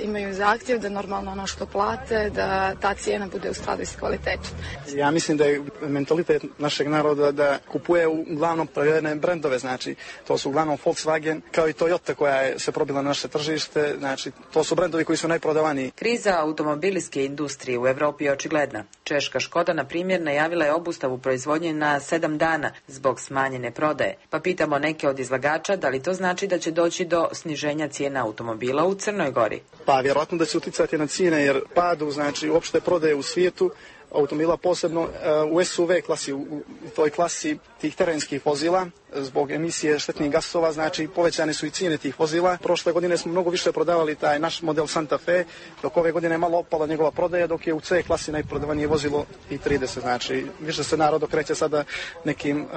imaju zahtjev da normalno ono što plate, da ta cijena bude u skladu s kvalitetom. Ja mislim da je mentalitet našeg naroda da kupuje uglavnom provedene brendove, znači to su uglavnom Volkswagen kao i Toyota koja je se probila na naše tržište, znači to su brendovi koji su najprodavaniji. Kriza automobilske industrije u Evropi je očigledna. Češka Škoda, na primjer, najavila je obustavu proizvodnje na sedam dana zbog smanjene prodaje. Pa pitamo neke od izlagača da li to znači da će doći do sniženja cijena automobila u Crnoj Gori. Pa vjerojatno da će uticati na cijene jer padu, znači uopšte prodaje u svijetu automobila, posebno u S U V klasi, u toj klasi tih terenskih vozila, zbog emisije štetnih gasova, znači povećane su i cijene tih vozila. Prošle godine smo mnogo više prodavali taj naš model Santa Fe, dok ove godine je malo opala njegova prodaja, dok je u C klasi najprodavanije vozilo i trideset, znači više se narod okreće sada nekim uh,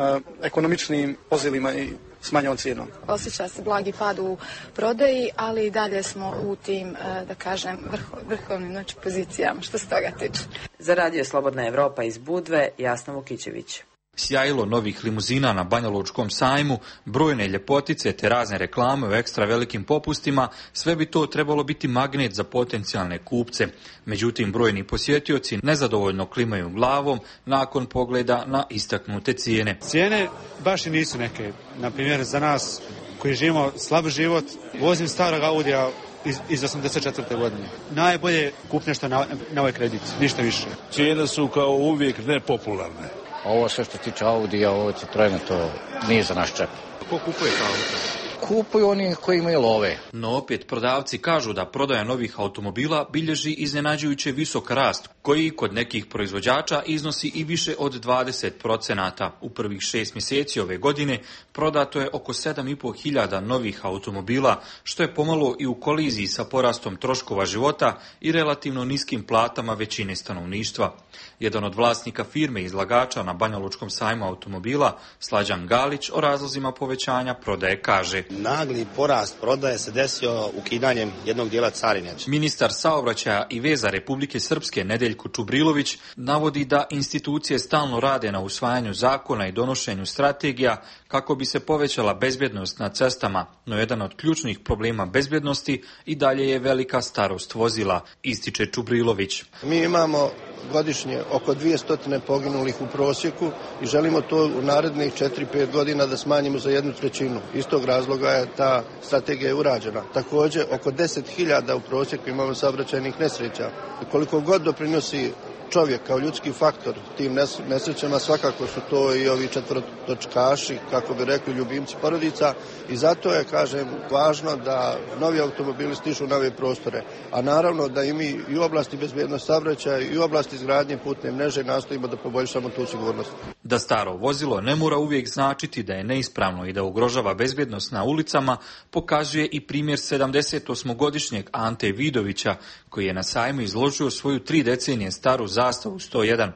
ekonomičnim vozilima i s manjom cijenom. Osjeća se blagi pad u prodaji, ali i dalje smo u tim, da kažem, vrho, vrhovnim znači, pozicijama, što se toga tiče. Za Radio Slobodna Evropa iz Budve, Jasna Vukićević. Sjajilo novih limuzina na Banjalučkom sajmu, brojne ljepotice te razne reklame u ekstra velikim popustima, sve bi to trebalo biti magnet za potencijalne kupce. Međutim, brojni posjetioci nezadovoljno klimaju glavom nakon pogleda na istaknute cijene. Cijene baš i nisu neke. Na primjer, za nas koji živimo slab život, vozim starog Audija iz, iz osamdeset četvrte godine. Najbolje kupnje što na, na ovaj kredit, ništa više. Cijene su kao uvijek nepopularne. Ovo sve što se tiče Audija, ovo Citroena, to nije za naš čep. Ko kupuje ta auta? Kupuju oni koji imaju love. No opet prodavci kažu da prodaja novih automobila bilježi iznenađujuće visok rast, koji kod nekih proizvođača iznosi i više od dvadeset procenata. U prvih šest mjeseci ove godine prodato je oko sedam i pol hiljada novih automobila, što je pomalo i u koliziji sa porastom troškova života i relativno niskim platama većine stanovništva. Jedan od vlasnika firme izlagača na Banjalučkom sajmu automobila, Slađan Galić, o razlozima povećanja prodaje kaže: Nagli porast prodaje se desio ukidanjem jednog dijela carine. Ministar saobraćaja i veza Republike Srpske Nedeljko Čubrilović navodi da institucije stalno rade na usvajanju zakona i donošenju strategija kako bi se povećala bezbjednost na cestama, no jedan od ključnih problema bezbjednosti i dalje je velika starost vozila, ističe Čubrilović. Mi imamo godišnje oko dvjesto poginulih u prosjeku i želimo to u narednih četiri pet godina da smanjimo za jednu trećinu. Iz tog razloga je ta strategija je urađena. Također, oko deset hiljada u prosjeku imamo saobraćajnih nesreća. Koliko god doprinosi čovjek kao ljudski faktor tim nesrećama, svakako su to i ovi četvorotočkaši, kako bi rekli, ljubimci porodica, i zato je, kažem, važno da novi automobili stižu na ove prostore, a naravno da i mi i u oblasti bezbjednosti saobraćaja i u oblasti izgradnje putne mreže nastojimo da poboljšamo tu sigurnost. Da staro vozilo ne mora uvijek značiti da je neispravno i da ugrožava bezbjednost na ulicama, pokazuje i primjer sedamdesetosmogodišnjeg Ante Vidovića, koji je na sajmu izložio svoju tri decenije staru zastavu sto jedan.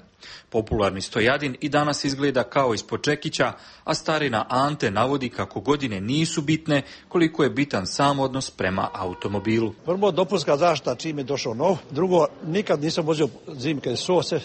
Popularni Stojadin i danas izgleda kao ispod čekića, a starina Ante navodi kako godine nisu bitne, koliko je bitan sam odnos prema automobilu. Prvo, dopunska zaštita čim je došao nov. Drugo, nikad nisam vozio zimke sose,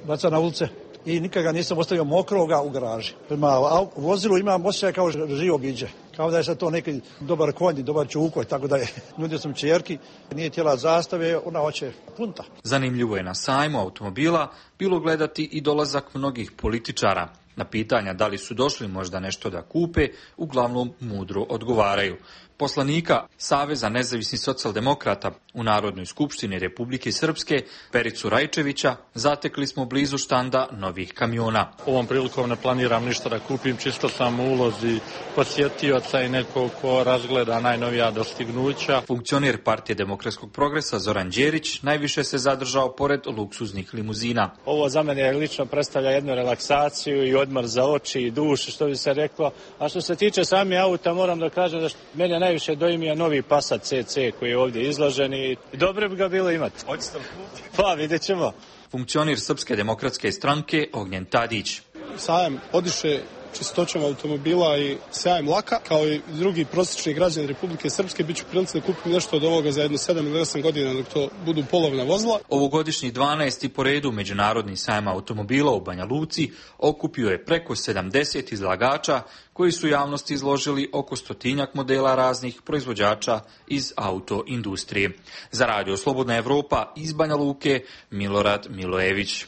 baca na ulice. I nikad ga nisam ostavio mokroga u garaži. Prema vozilu imam osjećaj kao živo biđe. Kao da je sad to neki dobar konj, dobar čukoj, tako da je. Nudio sam čerki, nije htjela zastave, ona hoće punta. Zanimljivo je na sajmu automobila bilo gledati i dolazak mnogih političara. Na pitanja da li su došli možda nešto da kupe, uglavnom mudro odgovaraju. Poslanika Saveza nezavisnih socijaldemokrata u Narodnoj skupštini Republike Srpske, Pericu Rajčevića, zatekli smo blizu štanda novih kamiona. Ovom prilikom ne planiram ništa da kupim, čisto sam u ulozi posjetioca i neko ko razgleda najnovija dostignuća. Funkcioner Partije demokratskog progresa Zoran Đerić najviše se zadržao pored luksuznih limuzina. Ovo za mene lično predstavlja jednu relaksaciju i odmor za oči i dušu, što bi se reklo. A što se tiče sami auta, moram da kažem da mene najviše dojmija novi Passat C C koji je ovdje izložen i dobro bi ga bilo imati. Hoćete li kupiti? Pa vidjet ćemo. Funkcioner Srpske demokratske stranke Ognjen Tadić. Sajam odiše čistoćom automobila i sjajem laka, kao i drugi prosječni građani Republike Srpske, bit ću prilici da kupim nešto od ovoga za jedno sedam ili osam godina dok to budu polovna vozila. Ovogodišnji dvanaesti po redu Međunarodni sajam automobila u Banja Luci okupio je preko sedamdeset izlagača koji su javnosti izložili oko stotinjak modela raznih proizvođača iz autoindustrije. Za Radio Slobodna Evropa iz Banja Luke, Milorad Milojević.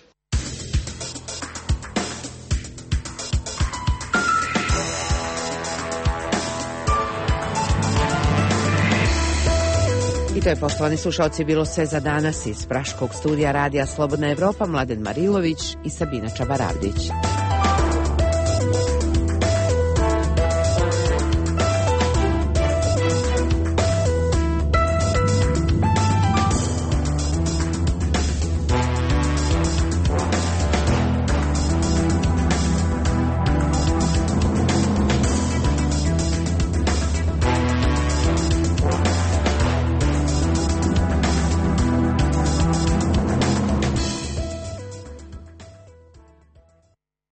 I to je, poštovani slušalci, bilo sve za danas iz Praškog studija Radija Slobodna Evropa. Mladen Marilović i Sabina Čabaravdić.